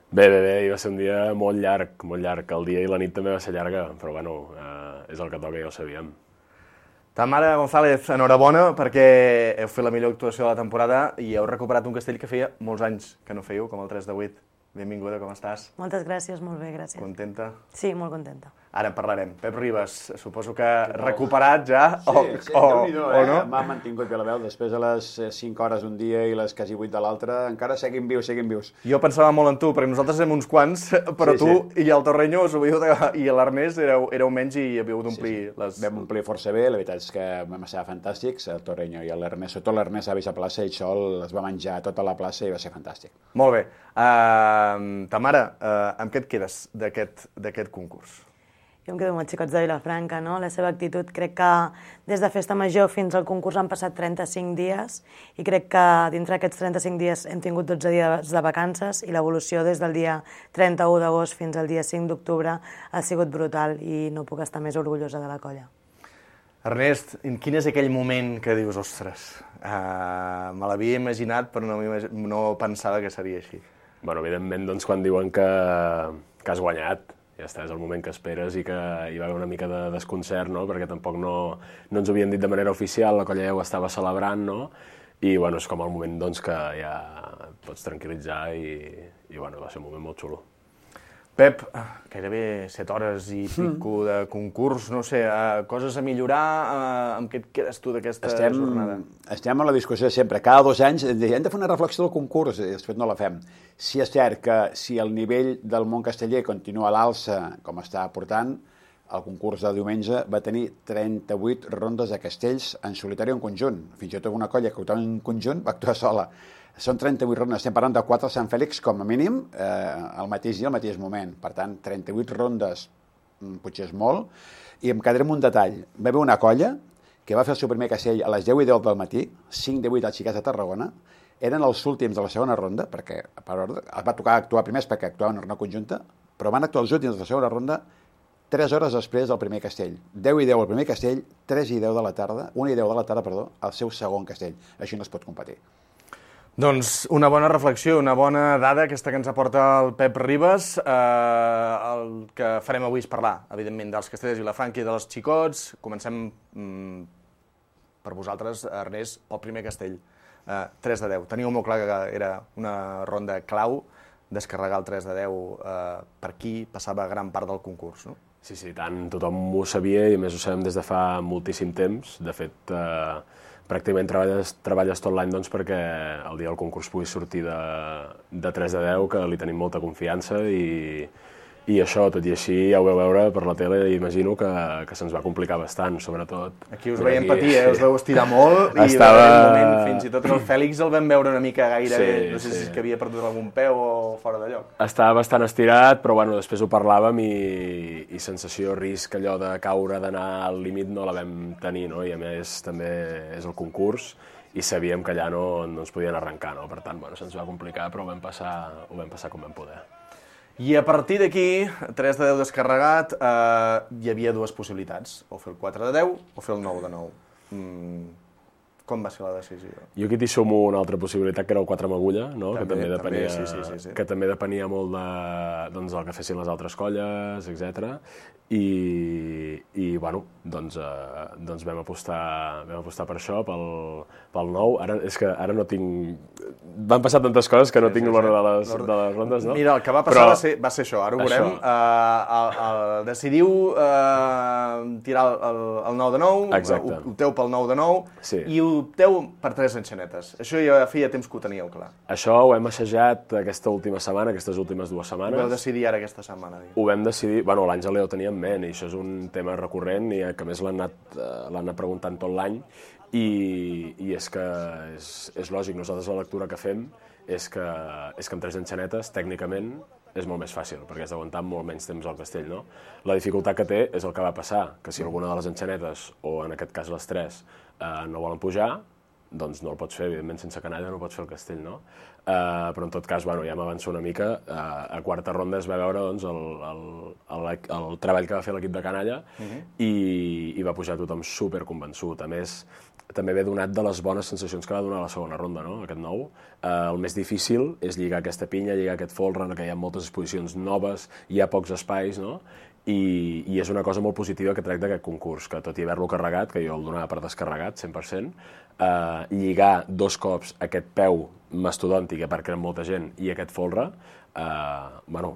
Bé, bé, bé, va ser un dia molt llarg, molt llarg. El dia i la nit també va ser llarga, però bueno, eh, és el que toca, ja ho sabíem. Tamara González, enhorabona, perquè heu fet la millor actuació de la temporada i heu recuperat un castell que feia molts anys que no fèieu, com el tres de vuit. Benvinguda, com estàs? Moltes gràcies, molt bé, gràcies. Contenta? Sí, molt contenta. Ara en parlarem. Pep Ribas, suposo que recuperat ja, sí, o, sí, o, Déu-n'hi-do, o eh? no? M'ha mantingut bé la veu, després de les cinc hores un dia i les quasi vuit de l'altre, encara seguim vius, seguim vius. Jo pensava molt en tu, perquè nosaltres érem uns quants, però sí, tu sí. i el Torreño us havíeu de... i l'Ernest éreu, éreu menys i havíeu d'omplir sí, sí. les... Vam omplir força bé, la veritat és que vam estar fantàstics, el Torreño i l'Ernest, sobretot l'Ernest a la plaça, ell sol es va menjar tota la plaça i va ser fantàstic. Molt bé. Uh, Tamara, uh, amb què et quedes d'aquest concurs? Jo em quedo amb els xicots de Vilafranca, no? La seva actitud, crec que des de Festa Major fins al concurs han passat trenta-cinc dies i crec que dintre d'aquests trenta-cinc dies hem tingut dotze dies de vacances i l'evolució des del dia trenta-u d'agost fins al dia cinc d'octubre ha sigut brutal i no puc estar més orgullosa de la colla. Ernest, quin és aquell moment que dius, ostres, uh, me l'havia imaginat però no, no pensava que seria així? Bueno, evidentment, doncs, quan diuen que, que has guanyat, ja està, és el moment que esperes i que hi va haver una mica de desconcert, no? Perquè tampoc no, no ens ho havien dit de manera oficial, la colla ja ho estava celebrant, no? I bueno, és com el moment doncs, que ja pots tranquil·litzar i, i bueno, va ser un moment molt xulo. Pep, gairebé set hores i pico de concurs, no sé, uh, coses a millorar, uh, amb què et quedes tu d'aquesta jornada? Estem a la discussió sempre, cada dos anys hem de fer una reflexió del concurs i després no la fem. Si és cert que si el nivell del món casteller continua a l'alça com està portant, el concurs de diumenge va tenir trenta-vuit rondes de castells en solitari o en conjunt. Fins i tot una colla que actuava en conjunt va actuar sola. Són trenta-vuit rondes, estem parlant de quatre a Sant Fèlix com a mínim, eh, al mateix dia, al mateix moment. Per tant, trenta-vuit rondes potser és molt. I em quedaré amb un detall. Va haver una colla que va fer el seu primer castell a les deu i deu del matí, cinc de vuit als xiquets de Tarragona, eren els últims de la segona ronda, perquè per ordre, els va tocar actuar primers perquè actuaven en una conjunta, però van actuar els últims de la segona ronda tres hores després del primer castell. deu i deu el primer castell, tres i deu de la tarda, una i deu de la tarda, perdó, el seu segon castell. Així no es pot competir. Doncs una bona reflexió, una bona dada, aquesta que ens aporta el Pep Ribas. Eh, el que farem avui és parlar, evidentment, dels castellers de Vilafranca i dels xicots. Comencem mm, per vosaltres, Ernest, pel primer castell. Eh, tres de deu. Teníeu molt clar que era una ronda clau, descarregar el tres de deu eh, per aquí passava gran part del concurs, no? Sí, sí, tant. Tothom ho sabia i a més ho sabem des de fa moltíssim temps. De fet, eh, pràcticament treballes, treballes tot l'any doncs, perquè el dia del concurs pugui sortir de, de tres de deu, que li tenim molta confiança i, i això, tot i així, ja ho veu veure per la tele i imagino que, que se'ns va complicar bastant, sobretot. Aquí us veiem patir, eh? Us veu estirar molt i Estava... en un moment, fins i tot el Fèlix el vam veure una mica gairebé, sí, no sé sí. si és que havia perdut algun peu o fora de lloc. Estava bastant estirat, però bueno, després ho parlàvem i, i sensació, risc, allò de caure, d'anar al límit no la vam tenir, no? I a més també és el concurs i sabíem que allà no, no ens podien arrencar, no? Per tant, bueno, se'ns va complicar, però ho vam passar, ho vam passar com vam poder. I a partir d'aquí, tres de deu descarregat, eh, hi havia dues possibilitats, o fer el quatre de deu o fer el nou de nou. Mm, com va ser la decisió? Jo aquí t'hi sumo una altra possibilitat, que era el quatre amb agulla, no? També, que també depenia, també, sí, sí, sí, sí. que també depenia molt de, doncs, del que fessin les altres colles, etcètera. I, i bueno, doncs, eh, doncs vam, apostar, vam apostar per això, pel, pel nou. Ara, és que ara no tinc... Van passar tantes coses que no sí, tinc sí, l'ordre sí. de, les, de les rondes, no? Mira, el que va passar Però... va, ser, va ser això, ara ho veurem. Uh, el, el, decidiu uh, tirar el, el nou de nou, Exacte. opteu pel nou de nou, sí. i opteu per tres enxanetes. Això ja feia temps que ho teníeu clar. Això ho hem assajat aquesta última setmana, aquestes últimes dues setmanes. Ho vau decidir ara aquesta setmana. Dic. Ho vam decidir... Bueno, l'Àngel ja ho tenia en ment, i això és un tema recurrent i que a més l'han anat, l'han anat preguntant tot l'any i, i és que és, és lògic, nosaltres la lectura que fem és que, és que amb tres enxanetes, tècnicament, és molt més fàcil, perquè has d'aguantar molt menys temps al castell, no? La dificultat que té és el que va passar, que si alguna de les enxanetes, o en aquest cas les tres, eh, no volen pujar, doncs no el pots fer, evidentment sense canalla no pots fer el castell, no? Uh, però en tot cas, bueno, ja m'avanço una mica, uh, a quarta ronda es va veure doncs, el, el, el, el treball que va fer l'equip de canalla uh-huh. i, i va pujar tothom superconvençut. A més, també ve donat de les bones sensacions que va donar la segona ronda, no? Aquest nou. Uh, el més difícil és lligar aquesta pinya, lligar aquest folre, en què hi ha moltes exposicions noves, hi ha pocs espais, no? I, i és una cosa molt positiva que trec d'aquest concurs, que tot i haver-lo carregat, que jo el donava per descarregat, cent per cent, eh, lligar dos cops aquest peu mastodòntic, a part que era molta gent, i aquest folre, eh, bueno,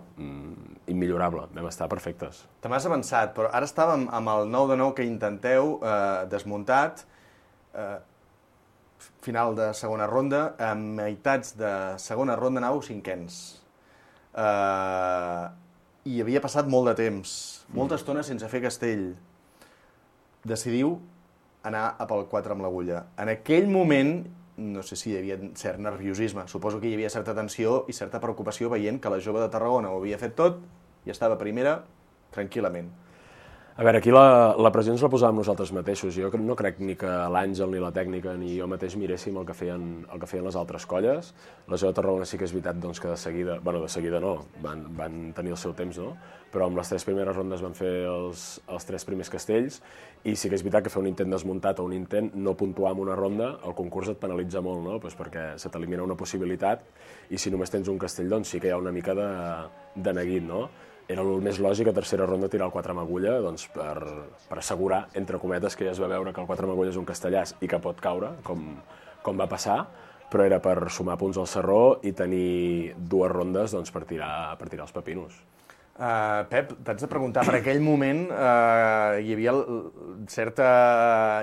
immillorable, vam estar perfectes. Te m'has avançat, però ara estàvem amb el nou de nou que intenteu, eh, desmuntat, eh, final de segona ronda, a meitats de segona ronda anàveu cinquens. Eh... I havia passat molt de temps, molta estona sense fer castell. Decidiu anar a pel quatre amb l'agulla. En aquell moment, no sé si hi havia cert nerviosisme, suposo que hi havia certa tensió i certa preocupació veient que la jove de Tarragona ho havia fet tot i estava primera tranquil·lament. A veure, aquí la, la pressió ens la posàvem nosaltres mateixos. Jo no crec ni que l'Àngel, ni la tècnica, ni jo mateix miréssim el que feien, el que feien les altres colles. La jove de Tarragona sí que és veritat doncs, que de seguida, bueno, de seguida no, van, van tenir el seu temps, no? Però amb les tres primeres rondes van fer els, els tres primers castells i sí que és veritat que fer un intent desmuntat o un intent no puntuar en una ronda, el concurs et penalitza molt, no? Pues perquè se t'elimina una possibilitat i si només tens un castell, doncs sí que hi ha una mica de, de neguit, no? Era el més lògic a tercera ronda tirar el quatre amb agulla doncs per, per assegurar, entre cometes, que ja es va veure que el quatre amb agulla és un castellàs i que pot caure, com, com va passar, però era per sumar punts al Sarró i tenir dues rondes doncs, per, tirar, per tirar els pepinos. Uh, Pep, t'haig de preguntar, per aquell moment uh, hi havia certa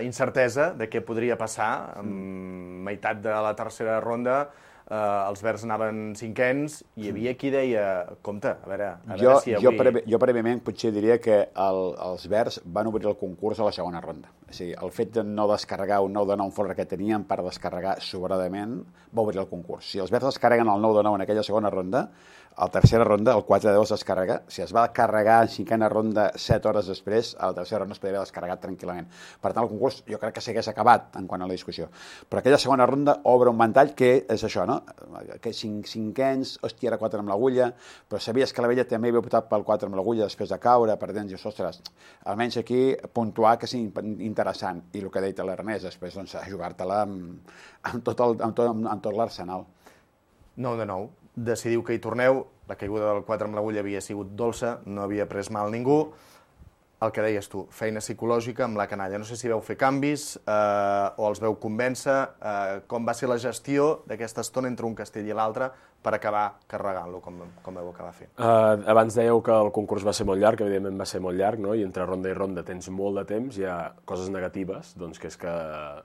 incertesa de què podria passar, en meitat de la tercera ronda, Uh, els verds anaven cinquens i hi havia qui deia, compte, a veure, a jo, veure si avui... Jo, previ, jo prèviament potser diria que el, els verds van obrir el concurs a la segona ronda. O sigui, el fet de no descarregar un nou de nou folre que tenien per descarregar sobradament va obrir el concurs. Si els verds descarreguen el nou de nou en aquella segona ronda, a la tercera ronda, el quatre de deu es descarrega. Si es va carregar en cinquena ronda set hores després, a la tercera ronda es podria haver descarregat tranquil·lament. Per tant, el concurs jo crec que s'hagués acabat en quant a la discussió. Però aquella segona ronda obre un ventall que és això, no? Que cinc, cinquens, hòstia, era quatre amb l'agulla, però sabies que la vella també havia optat pel quatre amb l'agulla després de caure, per dents, i ostres, almenys aquí puntuar que és interessant. I el que deia l'Ernest, després doncs, jugar-te-la amb, amb tot, el, amb tot, amb, amb tot l'arsenal. nou de nou. Decidiu que hi torneu, la caiguda del quatre amb l'agulla havia sigut dolça, no havia pres mal ningú. El que deies tu, feina psicològica amb la canalla. No sé si veu fer canvis eh, o els veu convèncer. Eh, com va ser la gestió d'aquesta estona entre un castell i l'altre per acabar carregant-lo, com, com veu acabar fent? Uh, abans dèieu que el concurs va ser molt llarg, evidentment va ser molt llarg, no? I entre ronda i ronda tens molt de temps, hi ha coses negatives, doncs que és que,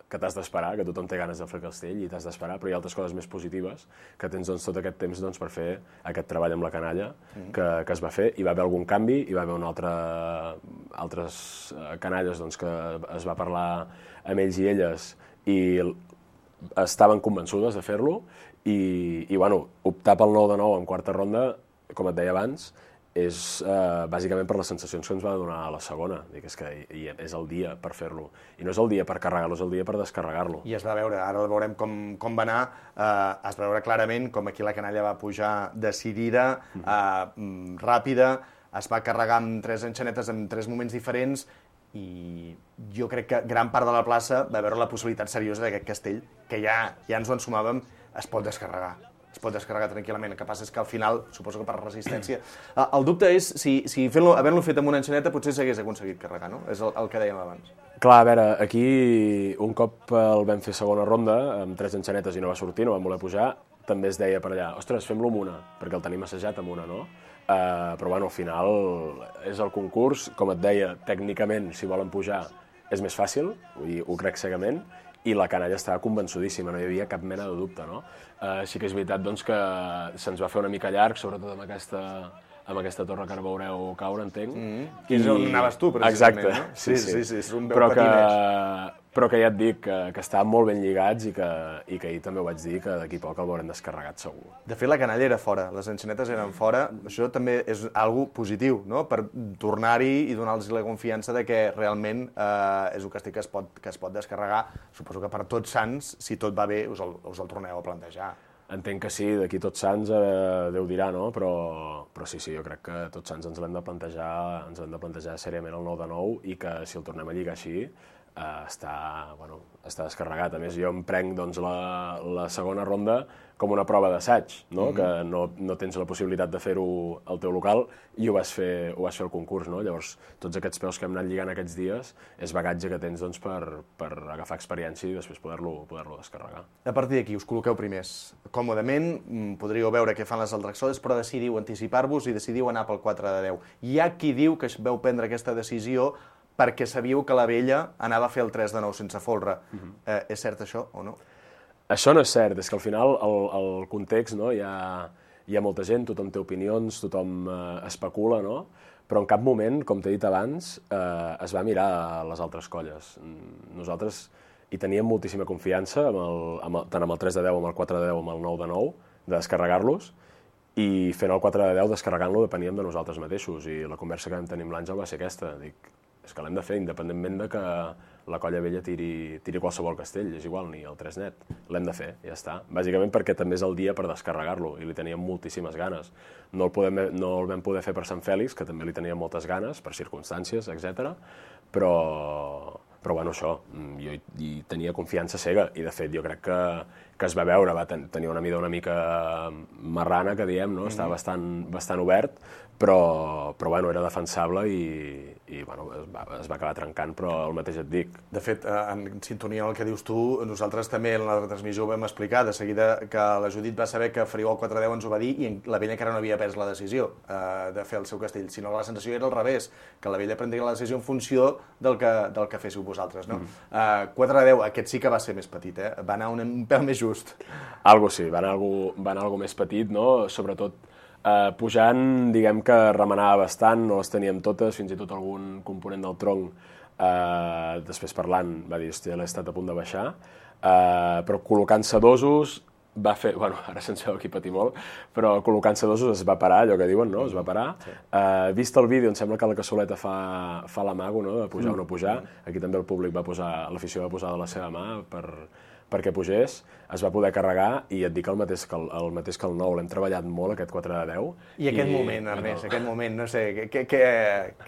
que t'has d'esperar, que tothom té ganes de fer el castell i t'has d'esperar, però hi ha altres coses més positives, que tens doncs, tot aquest temps doncs, per fer aquest treball amb la canalla mm-hmm. que, que es va fer. Hi va haver algun canvi, hi va haver un altre, altres canalles doncs, que es va parlar amb ells i elles i estaven convençudes de fer-lo, i, i bueno, optar pel nou de nou en quarta ronda, com et deia abans, és eh, bàsicament per les sensacions que ens va donar a la segona. Dic, és que i, és el dia per fer-lo. I no és el dia per carregar-lo, és el dia per descarregar-lo. I es va veure, ara veurem com, com va anar, eh, es va veure clarament com aquí la canalla va pujar decidida, eh, ràpida, es va carregar amb tres enxanetes en tres moments diferents, i jo crec que gran part de la plaça va veure la possibilitat seriosa d'aquest castell, que ja, ja ens ho ensumàvem, es pot descarregar. Es pot descarregar tranquil·lament. El que passa és que al final, suposo que per resistència... El dubte és si, si fent-lo, havent-lo fet amb una enxaneta potser s'hagués aconseguit carregar, no? És el, el que dèiem abans. Clar, a veure, aquí un cop el vam fer segona ronda, amb tres enxanetes i no va sortir, no vam voler pujar, també es deia per allà, ostres, fem-lo amb una, perquè el tenim assajat amb una, no? Uh, però bueno, al final és el concurs, com et deia, tècnicament, si volen pujar, és més fàcil, i ho crec cegament, i la canalla estava convençudíssima, no hi havia cap mena de dubte, no? Uh, sí que és veritat doncs, que se'ns va fer una mica llarg, sobretot amb aquesta, amb aquesta torre que ara veureu caure, entenc. Mm. Que és on anaves tu, precisament, exacte. no? Sí, sí, sí, sí, és un veu però que, patineix. però que ja et dic que, que estaven molt ben lligats i que, i que ahir també ho vaig dir, que d'aquí poc el veurem descarregat segur. De fet, la canalla era fora, les enxanetes eren fora. Això també és algo positiu, no?, per tornar-hi i donar-los la confiança de que realment eh, és un castell que es, pot, que es pot descarregar. Suposo que per Tots Sants, si tot va bé, us el, us el torneu a plantejar. Entenc que sí, d'aquí Tots Sants eh, Déu dirà, no? Però, però sí, sí, jo crec que Tots Sants ens l'hem de plantejar, ens l'hem de plantejar seriament el nou de nou i que si el tornem a lligar així eh, està, bueno, està descarregat. A més, jo em prenc doncs, la, la segona ronda com una prova d'assaig, no? Mm-hmm. Que no, no tens la possibilitat de fer-ho al teu local i ho vas fer, ho vas fer al concurs, no? Llavors, tots aquests peus que hem anat lligant aquests dies és bagatge que tens doncs, per, per agafar experiència i després poder-lo poder-lo descarregar. A partir d'aquí us col·loqueu primers. Còmodament, podríeu veure què fan les altres soles, però decidiu anticipar-vos i decidiu anar pel quatre de deu. Hi ha qui diu que veu prendre aquesta decisió perquè sabíeu que la vella anava a fer el tres de nou sense folre. Mm-hmm. eh, és cert això o no? Això no és cert, és que al final el, el context, no? hi, ha, hi ha molta gent, tothom té opinions, tothom eh, especula, no? Però en cap moment, com t'he dit abans, eh, es va mirar a les altres colles. Nosaltres hi teníem moltíssima confiança, amb el, amb el, tant amb el tres de deu, amb el quatre de deu, amb el nou de nou, de descarregar-los, i fent el quatre de deu, descarregant-lo, depeníem de nosaltres mateixos. I la conversa que vam tenir amb l'Àngel va ser aquesta. Dic, és que l'hem de fer independentment de que la colla vella tiri, tiri qualsevol castell, és igual, ni el tres net. L'hem de fer, ja està. Bàsicament perquè també és el dia per descarregar-lo i li teníem moltíssimes ganes. No el, podem, no el vam poder fer per Sant Fèlix, que també li teníem moltes ganes, per circumstàncies, etcètera. Però, però bueno, això, jo hi, hi tenia confiança cega i de fet jo crec que, que es va veure, va ten, tenir una mida una mica marrana, que diem, no? Estava bastant, bastant obert, però, però bueno, era defensable i, i bueno, es, va, es va acabar trencant, però el mateix et dic. De fet, en sintonia amb el que dius tu, nosaltres també en la retransmissió ho vam explicar, de seguida que la Judit va saber que faríeu el quatre deu ens ho va dir i la vella encara no havia pres la decisió eh, de fer el seu castell, sinó que la sensació era al revés, que la vella prendria la decisió en funció del que, del que féssiu vosaltres, no? Mm. Uh, quatre de deu, aquest sí que va ser més petit, eh? Va anar un, un pèl més just. Algo sí, va anar algo, va anar algo més petit, no? Sobretot Uh, pujant, diguem que remenava bastant, no les teníem totes, fins i tot algun component del tronc, uh, després parlant, va dir, hòstia, l'he estat a punt de baixar, uh, però col·locant-se dosos, va fer, bueno, ara se'ns veu aquí patir molt, però col·locant-se dosos es va parar, allò que diuen, no? Es va parar. Sí. Uh, vist el vídeo, em sembla que la cassoleta fa, fa l'amago, no?, de pujar mm. o no pujar. Aquí també el públic va posar, l'afició va posar de la seva mà per... perquè pugés, es va poder carregar i et dic el mateix que el, el, mateix que el nou. L'hem treballat molt, aquest quatre de deu. I aquest i... moment, Ernest, aquest moment, no sé, què, què,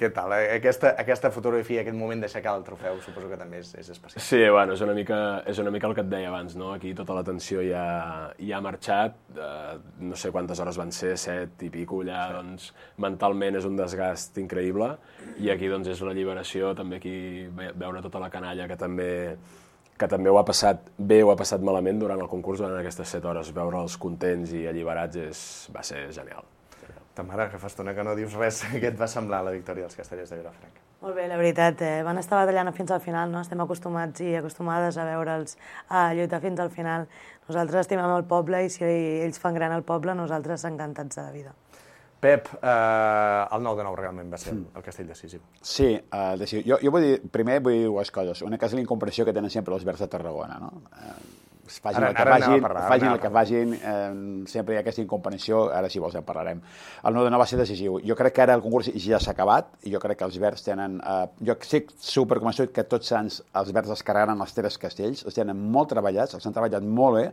què tal? Aquesta, aquesta fotografia, aquest moment d'aixecar el trofeu, suposo que també és, és especial. Sí, bueno, és una, mica, és una mica el que et deia abans, no? Aquí tota la tensió ja, ja ha marxat, eh, no sé quantes hores van ser, set i pico, ja, sí. Doncs, mentalment és un desgast increïble, i aquí doncs és la lliberació, també aquí veure tota la canalla que també... que també ho ha passat bé o ha passat malament durant el concurs, durant aquestes set hores. Veure'ls contents i alliberats és, va ser genial. Ta mare, que fa estona que no dius res. Què et va semblar la victòria dels Castellers de Vilafranca? Molt bé, la veritat. Eh? Van estar batallant fins al final, no? Estem acostumats i acostumades a veure'ls a lluitar fins al final. Nosaltres estimem el poble i si ells fan gran el poble, nosaltres encantats de la vida. Pep, eh, el nou de nou realment va ser el castell decisiu. Sí, uh, decisiu. Jo, jo vull dir, primer vull dir dues coses. Una que és la incomprensió que tenen sempre els Verds de Tarragona, no? Uh, Facin ara, el que facin, parlar, facin el que facin, eh, sempre hi ha aquesta incomprensió, ara si vols en parlarem. El nou de nou va ser decisiu. Jo crec que ara el concurs ja s'ha acabat, i jo crec que els Verds tenen... Eh, jo estic superconvençut que Tots Sants els Verds descarregaran els tres castells, els tenen molt treballats, els han treballat molt bé,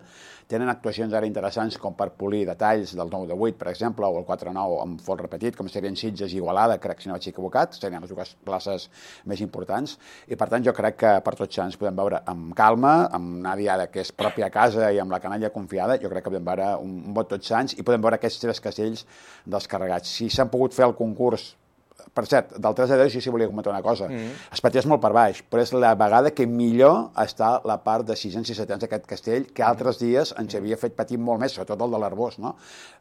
tenen actuacions ara interessants com per polir detalls del nou de vuit, per exemple, o el quatre nou amb fol repetit, com serien Sitges i Igualada, crec si no vaig equivocat, serien les dues places més importants, i per tant jo crec que per Tots Sants podem veure amb calma, amb una diada que és pròpia a casa i amb la canalla confiada, jo crec que podem veure un, un vot Tots Sants i podem veure aquests tres castells descarregats. Si s'han pogut fer el concurs, per cert, del tres de deu sí, sí volia comentar una cosa, mm. es patés molt per baix, però és la vegada que millor està la part de sisens i setens d'aquest castell, que altres dies ens havia fet patir molt més, sobretot el de l'Arbós, no?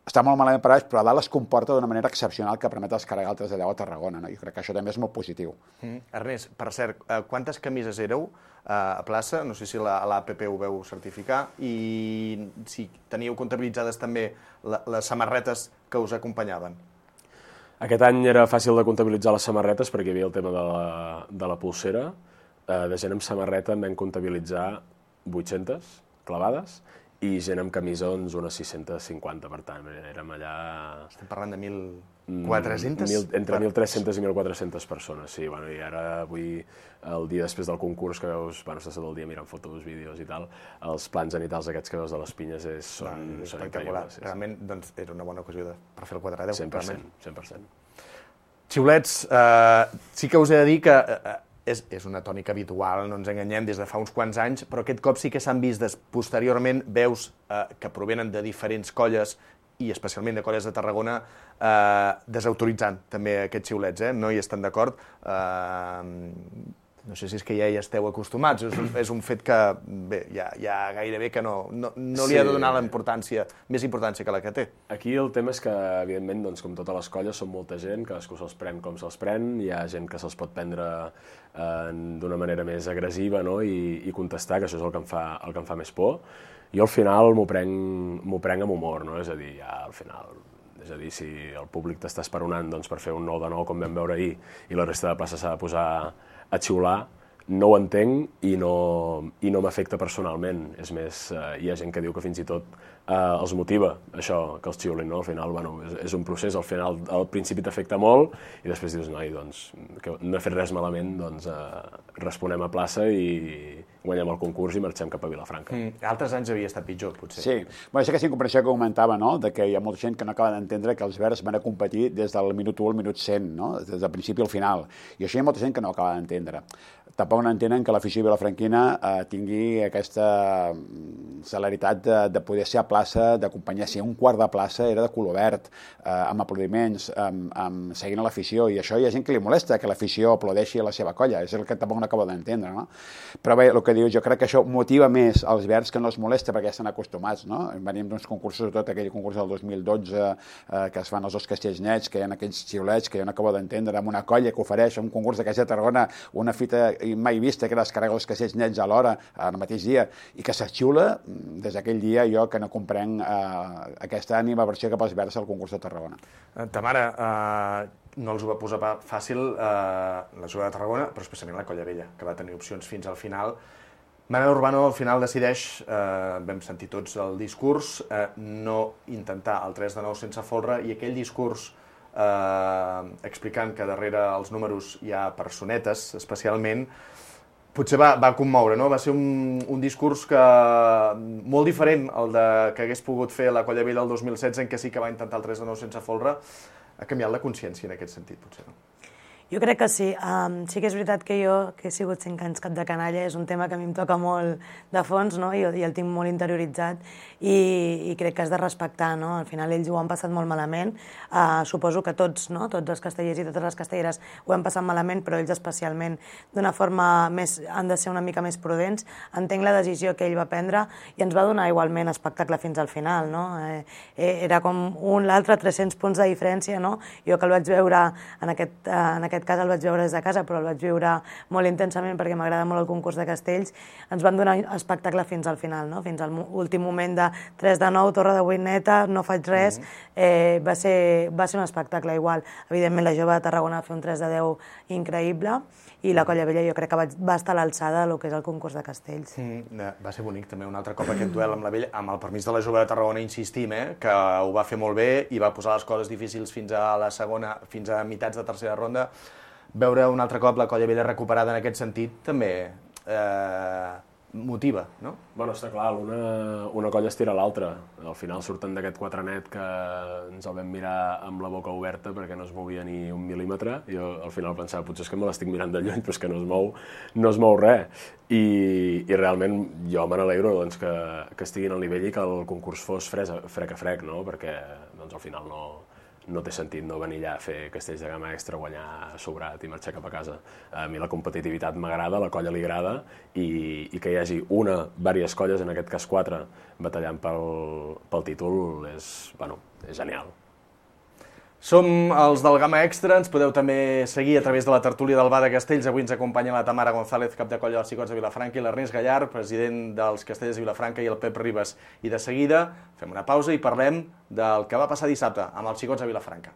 Està molt malament per baix, però a dalt es comporta d'una manera excepcional que permet descarregar el tres de deu a Tarragona, no? Jo crec que això també és molt positiu. Mm. Ernest, per cert, quantes camises éreu a plaça? No sé si a l'A P P ho veu certificar, i si teníeu comptabilitzades també les samarretes que us acompanyaven. Aquest any era fàcil de comptabilitzar les samarretes perquè hi havia el tema de la, de la pulsera. De gent amb samarreta en vam comptabilitzar vuit-centes clavades i gent amb camisons unes sis-centes cinquanta, per tant, érem allà... Estem parlant de mil quatre-centes? Entre mil tres-centes i mil quatre-centes persones, sí. Bueno, i ara avui, el dia després del concurs, que veus, bueno, estàs tot el dia mirant fotos, vídeos i tal, els plans genitals aquests que veus de les pinyes és, són, no, són increïbles. Sí, realment, doncs, era una bona ocasió de, per fer el quatre a deu. cent per cent, cent per cent. Xiulets, eh, sí que us he de dir que eh, és, és una tònica habitual, no ens enganyem, des de fa uns quants anys, però aquest cop sí que s'han vist des, posteriorment veus eh, que provenen de diferents colles i especialment de colles de Tarragona, eh, desautoritzant també aquests xiulets, eh? No hi estan d'acord. Eh, no sé si és que ja hi esteu acostumats, és un, és un fet que bé, ja, ja gairebé que no, no, no li sí. ha de donar la importància, més importància que la que té. Aquí el tema és que, evidentment, doncs, com totes les colles, són molta gent, cadascú se'ls pren com se'ls pren, hi ha gent que se'ls pot prendre eh, d'una manera més agressiva, no? I, i contestar, que això és el que em fa, el que em fa més por. Jo al final m'ho prenc, m'ho prenc amb humor, no? És a dir, ja al final... És a dir, si el públic t'està esperonant doncs, per fer un nou de nou com vam veure ahir i la resta de plaça s'ha de posar a xiular, no ho entenc i no, i no m'afecta personalment. És més, eh, hi ha gent que diu que fins i tot eh, els motiva això, que els xiulin, no? Al final, bueno, és, és un procés, al final, al principi t'afecta molt i després dius, noi, doncs, que no he fet res malament, doncs eh, responem a plaça i guanyem el concurs i marxem cap a Vilafranca. Mm, altres anys havia estat pitjor, potser. Sí, bueno, és aquesta incomprensió que comentava, no?, de que hi ha molta gent que no acaba d'entendre que els verds van a competir des del minut u al minut cent, no?, des del principi al final. I això hi ha molta gent que no acaba d'entendre. Tampoc no entenen que l'afició vilafranquina eh, tingui aquesta celeritat de, de poder ser a plaça, d'acompanyar. Si un quart de plaça era de color verd, eh, amb aplaudiments, amb, amb, seguint l'afició, i això hi ha gent que li molesta que l'afició aplaudeixi a la seva colla, és el que tampoc no acaba d'entendre, no? Però bé, el que dius, jo crec que això motiva més els verds que no els molesta perquè ja estan acostumats, no? Venim d'uns concursos, tot aquell concurs del dos mil dotze eh, que es fan els dos castells nets, que hi ha aquells xiulets que jo no acabo d'entendre, amb una colla que ofereix un concurs de Caixa de Tarragona una fita mai vista, que es carrega els castells nets a l'hora, al mateix dia, i que se xiula, des d'aquell dia jo que no comprenc eh, aquesta ànima versió cap als verds al concurs de Tarragona. Tamara, eh, no els ho va posar fàcil eh, la jugada de Tarragona, però especialment la Colla Vella, que va tenir opcions fins al final. Manel Urbano al final decideix, eh, vam sentir tots el discurs, eh, no intentar el tres de nou sense folre, i aquell discurs eh, explicant que darrere els números hi ha personetes, especialment, potser va, va commoure, no? Va ser un, un discurs que, molt diferent al de, que hagués pogut fer la Colla Vella el dos mil setze, en què sí que va intentar el tres de nou sense folre. Ha canviat la consciència en aquest sentit, potser, no? Jo crec que sí. Um, sí que és veritat que jo, que he sigut cinc anys cap de canalla, és un tema que a mi em toca molt de fons, no? I, i el tinc molt interioritzat i, i crec que has de respectar, no? Al final ells ho han passat molt malament. Uh, suposo que tots, no? Tots els castellers i totes les castelleres ho han passat malament, però ells especialment d'una forma més, han de ser una mica més prudents. Entenc la decisió que ell va prendre i ens va donar igualment espectacle fins al final, no? Eh, era com un, l'altre, tres-cents punts de diferència, no? Jo que el vaig veure en aquest, uh, en aquest cas el vaig veure des de casa, però el vaig viure molt intensament perquè m'agrada molt el concurs de castells. Ens van donar espectacle fins al final, no? Fins al últim moment de tres de nou, torre de vuit neta, no faig res. Eh, va, ser, va ser un espectacle igual. Evidentment la jove de Tarragona va fer un tres de deu increïble i la Colla Vella jo crec que va, va estar a l'alçada del que és el concurs de castells. Mm, va ser bonic també un altre cop aquest duel amb la Vella, amb el permís de la jove de Tarragona, insistim, eh, que ho va fer molt bé i va posar les coses difícils fins a la segona, fins a meitats de tercera ronda. Veure un altre cop la Colla Vella recuperada en aquest sentit també eh, motiva, no? Bueno, està clar, una, una colla es tira a l'altra. Al final surten d'aquest quatre net que ens el vam mirar amb la boca oberta perquè no es movia ni un mil·límetre. Jo al final pensava, potser és que me l'estic mirant de lluny, però és que no es mou, no es mou res. I, i realment jo me n'alegro doncs, que, que estiguin al nivell i que el concurs fos fresa, frec a frec, no? Perquè doncs, al final no... no té sentit no venir allà a fer castells de gamma extra, guanyar sobrat i marxar cap a casa. A mi la competitivitat m'agrada, la colla li agrada, i, i que hi hagi una, diverses colles, en aquest cas quatre, batallant pel, pel títol és, bueno, és genial. Som els del Gamma Extra, ens podeu també seguir a través de la tertúlia del Bar de Castells. Avui ens acompanya la Tamara González, cap de colla dels Xicots de Vilafranca, i l'Ernest Gallard, president dels Castellers de Vilafranca, i el Pep Ribas. I de seguida fem una pausa i parlem del que va passar dissabte amb els Xicots de Vilafranca.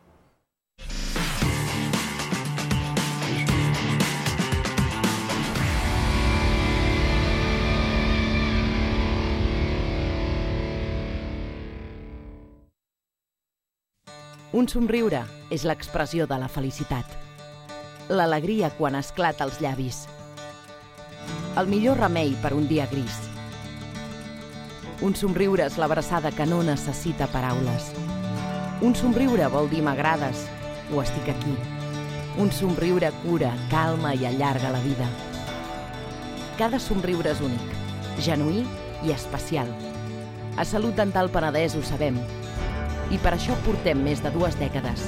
Un somriure és l'expressió de la felicitat. L'alegria quan esclata als llavis. El millor remei per un dia gris. Un somriure és l'abraçada que no necessita paraules. Un somriure vol dir m'agrades o estic aquí. Un somriure cura, calma i allarga la vida. Cada somriure és únic, genuí i especial. A Salut Dental Penedès ho sabem. I per això portem més de dues dècades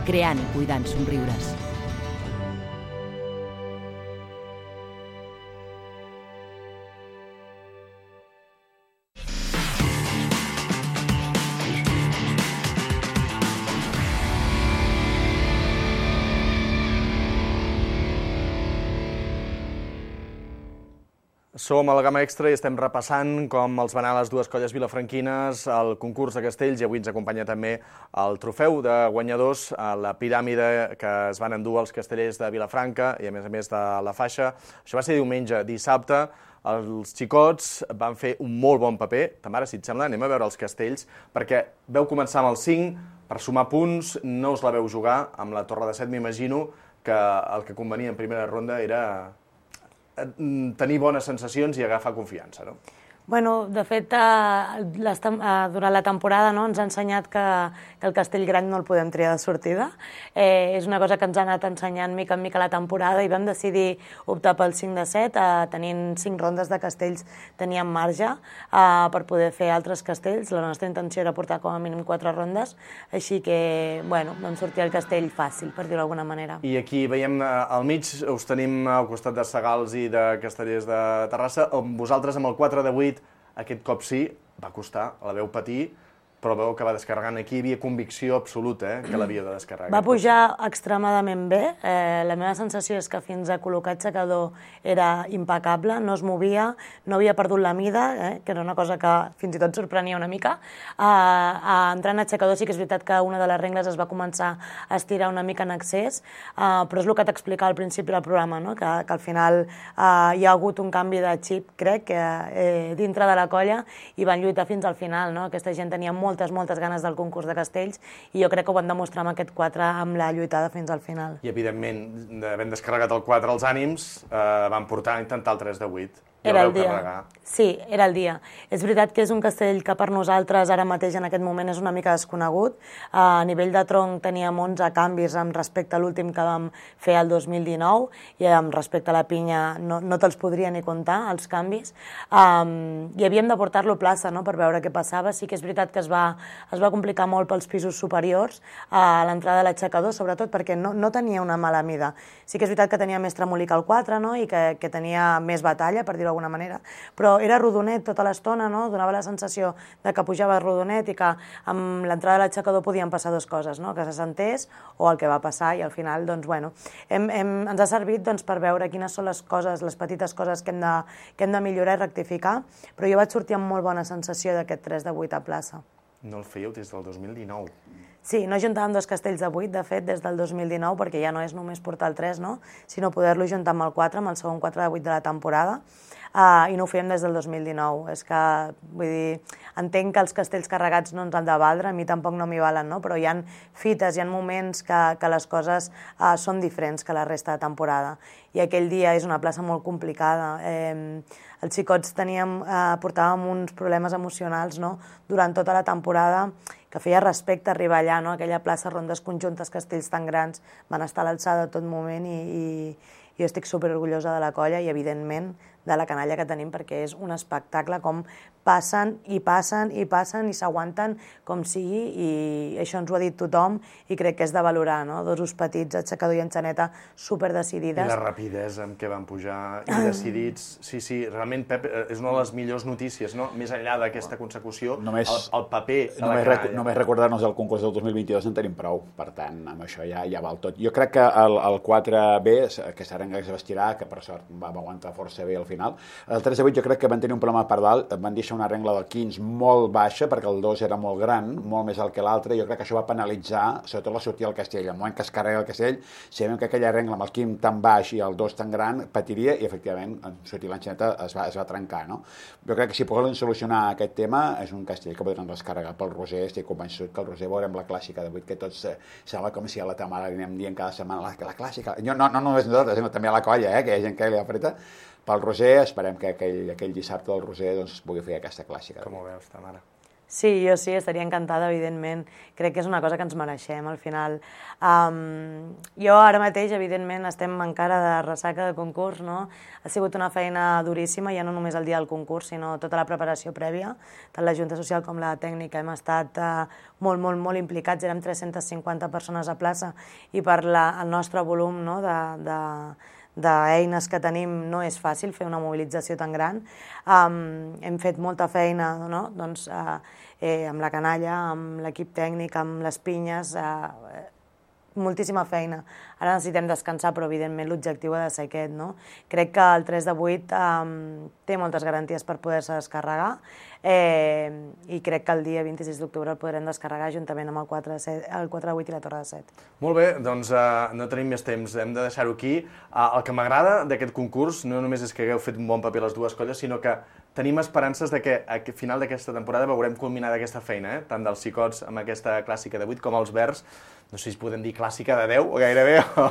creant i cuidant somriures. Som a la Gamma Extra i estem repassant com els van anar les dues colles vilafranquines al concurs de castells i avui ens acompanya també el trofeu de guanyadors a la piràmide que es van endur els castellers de Vilafranca i a més a més de la faixa. Això va ser diumenge. Dissabte els xicots van fer un molt bon paper. Tamara, si et sembla, anem a veure els castells perquè veu començar amb el cinc per sumar punts, no us la veu jugar amb la torre de set, m'imagino que el que convenia en primera ronda era tenir bones sensacions i agafar confiança, no? Bueno, de fet, durant la temporada ens ha ensenyat que el castell gran no el podem triar de sortida. És una cosa que ens ha anat ensenyant mica en mica la temporada i vam decidir optar pel cinc de set. Tenint cinc rondes de castells teníem marge per poder fer altres castells. La nostra intenció era portar com a mínim quatre rondes, així que, bueno, vam sortir el castell fàcil, per dir-ho d'alguna manera. I aquí veiem al mig, us tenim al costat de Sagals i de Castellers de Terrassa. Vosaltres amb el quatre de vuit aquest cop sí, va costar, la veu patir, però veu que va descarregant aquí, hi havia convicció absoluta que l'havia de descarregar. Va pujar extremadament bé. La meva sensació és que fins a col·locar aixecador era impecable, no es movia, no havia perdut la mida, que era una cosa que fins i tot sorprenia una mica. Entrant a aixecador sí que és veritat que una de les rengles es va començar a estirar una mica en excés, però és el que t'explicava al principi del programa, que al final hi ha hagut un canvi de xip, crec, dintre de la colla i van lluitar fins al final. Aquesta gent tenia molt moltes, moltes ganes del concurs de castells i jo crec que ho van demostrar amb aquest quatre amb la lluitada fins al final. I, evidentment, havent descarregat el quatre als ànims, van portar a intentar el tres de vuit. Era el dia. Sí, era el dia. És veritat que és un castell que per nosaltres ara mateix en aquest moment és una mica desconegut. A nivell de tronc teníem onze canvis amb respecte a l'últim que vam fer el dos mil dinou i amb respecte a la pinya no, no te'ls podria ni comptar, els canvis. Um, I havíem de portar-lo a plaça, no?, per veure què passava. Sí que és veritat que es va, es va complicar molt pels pisos superiors a l'entrada de l'aixecador, sobretot perquè no, no tenia una mala mida. Sí que és veritat que tenia més tremolí que el quatre, no?, i que, que tenia més batalla, per dir-ho d'alguna manera, però era rodonet tota l'estona, no? Donava la sensació de que pujava rodonet i que amb l'entrada de l'aixecador podien passar dues coses, no? Que se sentés o el que va passar i al final, doncs, bueno, hem, hem, ens ha servit doncs, per veure quines són les coses, les petites coses que hem de, que hem de millorar i rectificar, però jo vaig sortir amb molt bona sensació d'aquest tres de vuit a plaça. No el fèieu des del dos mil dinou? Sí, no juntàvem dos castells de vuit, de fet, des del dos mil dinou, perquè ja no és només portar el tres, no?, sinó poder-lo juntar amb el quatre, amb el segon quatre de vuit de la temporada, Uh, i no ho fèiem des del dos mil dinou. És que, vull dir, entenc que els castells carregats no ens han de valdre, a mi tampoc no m'hi valen, no? Però hi ha fites, hi ha moments que, que les coses uh, són diferents que la resta de temporada. I aquell dia és una plaça molt complicada. Eh, els xicots teníem, uh, portàvem uns problemes emocionals, no?, durant tota la temporada, que feia respecte arribar allà, no?, aquella plaça, rondes conjuntes, castells tan grans, van estar a l'alçada tot moment i, i, i jo estic superorgullosa de la colla i, evidentment, de la canalla que tenim, perquè és un espectacle com passen i passen i passen i s'aguanten com sigui, i això ens ho ha dit tothom i crec que és de valorar, no? Dos us petits, aixecador i enxaneta, superdecidides. I la rapidesa amb què van pujar i decidits. Sí, sí, realment, Pep, és una de les millors notícies, no? Més enllà d'aquesta consecució, només, el, el paper de només la canalla. Rec només recordar-nos el concurs del dos mil vint-i-dos en tenim prou, per tant, amb això ja, ja val tot. Jo crec que el, el quatre B, que s'arenga que es va estirar, que per sort va aguantar força bé al final. El tres de vuit jo crec que van tenir un problema per dalt, van deixar una regla del quinze molt baixa, perquè el dos era molt gran, molt més alt que l'altre, i jo crec que això va penalitzar, sobretot la sortida del Castell. Al moment que es carrega el Castell, sabem que aquella regla amb el quinze tan baix i el dos tan gran patiria, i efectivament, en sortir l'enxaneta es va, es va trencar, no? Jo crec que si poden solucionar aquest tema, és un Castell que podran descarregar pel Roser. Estic convençut que el Roser veurem la clàssica de vuit, que tots eh, sembla com si a la Tamara li anem dient cada setmana la, la clàssica. Jo, no, no només nosaltres, sinó també a la colla, eh, que hi ha gent que li apreta. Pel Roser, esperem que aquell, aquell dissabte del Roser doncs, pugui fer aquesta clàssica. Com ho veus, Tamara? Sí, jo sí, estaria encantada, evidentment. Crec que és una cosa que ens mereixem, al final. Um, jo ara mateix, evidentment, estem encara de ressaca de concurs, no? Ha sigut una feina duríssima, ja no només el dia del concurs, sinó tota la preparació prèvia. Tant la Junta Social com la tècnica hem estat uh, molt, molt, molt implicats. Érem tres-centes cinquanta persones a plaça i per la, el nostre volum, no?, de... de d'eines que tenim no és fàcil fer una mobilització tan gran. Um, hem fet molta feina, no? Doncs, uh, eh, amb la canalla, amb l'equip tècnic, amb les pinyes, uh, moltíssima feina. Ara necessitem descansar, però evidentment l'objectiu ha de ser aquest, no? Crec que el tres de vuit um, té moltes garanties per poder-se descarregar eh, i crec que el dia vint-i-sis d'octubre el podrem descarregar juntament amb el quatre de vuit i la Torre de set. Molt bé, doncs uh, no tenim més temps, hem de deixar-ho aquí. Uh, el que m'agrada d'aquest concurs no només és que hagueu fet un bon paper les dues colles, sinó que tenim esperances de que a final d'aquesta temporada veurem culminada aquesta feina, eh? Tant dels xicots amb aquesta clàssica de vuit com els verds, no sé si podem dir clàssica de deu, o gairebé, o,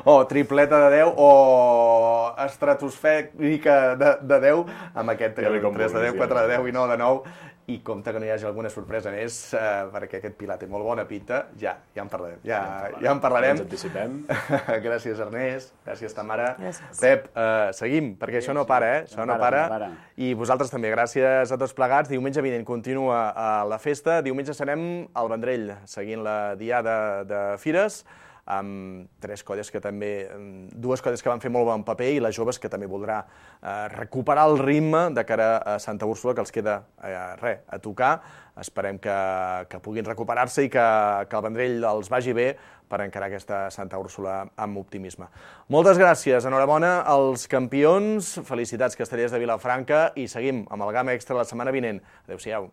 o tripleta de deu, o estratosfèrica de, de deu, amb aquest tres de deu, quatre de deu i nou de nou, i compte que no hi hagi alguna sorpresa més, eh, perquè aquest Pilar té molt bona pinta, ja, ja en parlarem. Ja, ja en parlarem. Ens anticipem. Gràcies, Ernest. Gràcies, Tamara. Gràcies. Pep, eh, seguim, perquè això no para, eh? Això no para. I vosaltres també. Gràcies a tots plegats. Diumenge vinent continua la festa. Diumenge serem al Vendrell, seguint la diada de Fires, amb tres colles que també, dues colles que van fer molt bon paper i les joves que també voldrà eh, recuperar el ritme de cara a Santa Úrsula, que els queda eh, res, a tocar. Esperem que, que puguin recuperar-se i que, que el Vendrell els vagi bé per encarar aquesta Santa Úrsula amb optimisme. Moltes gràcies, enhorabona als campions, felicitats castellers de Vilafranca i seguim amb el Gamma Extra la setmana vinent. Adéu-siau.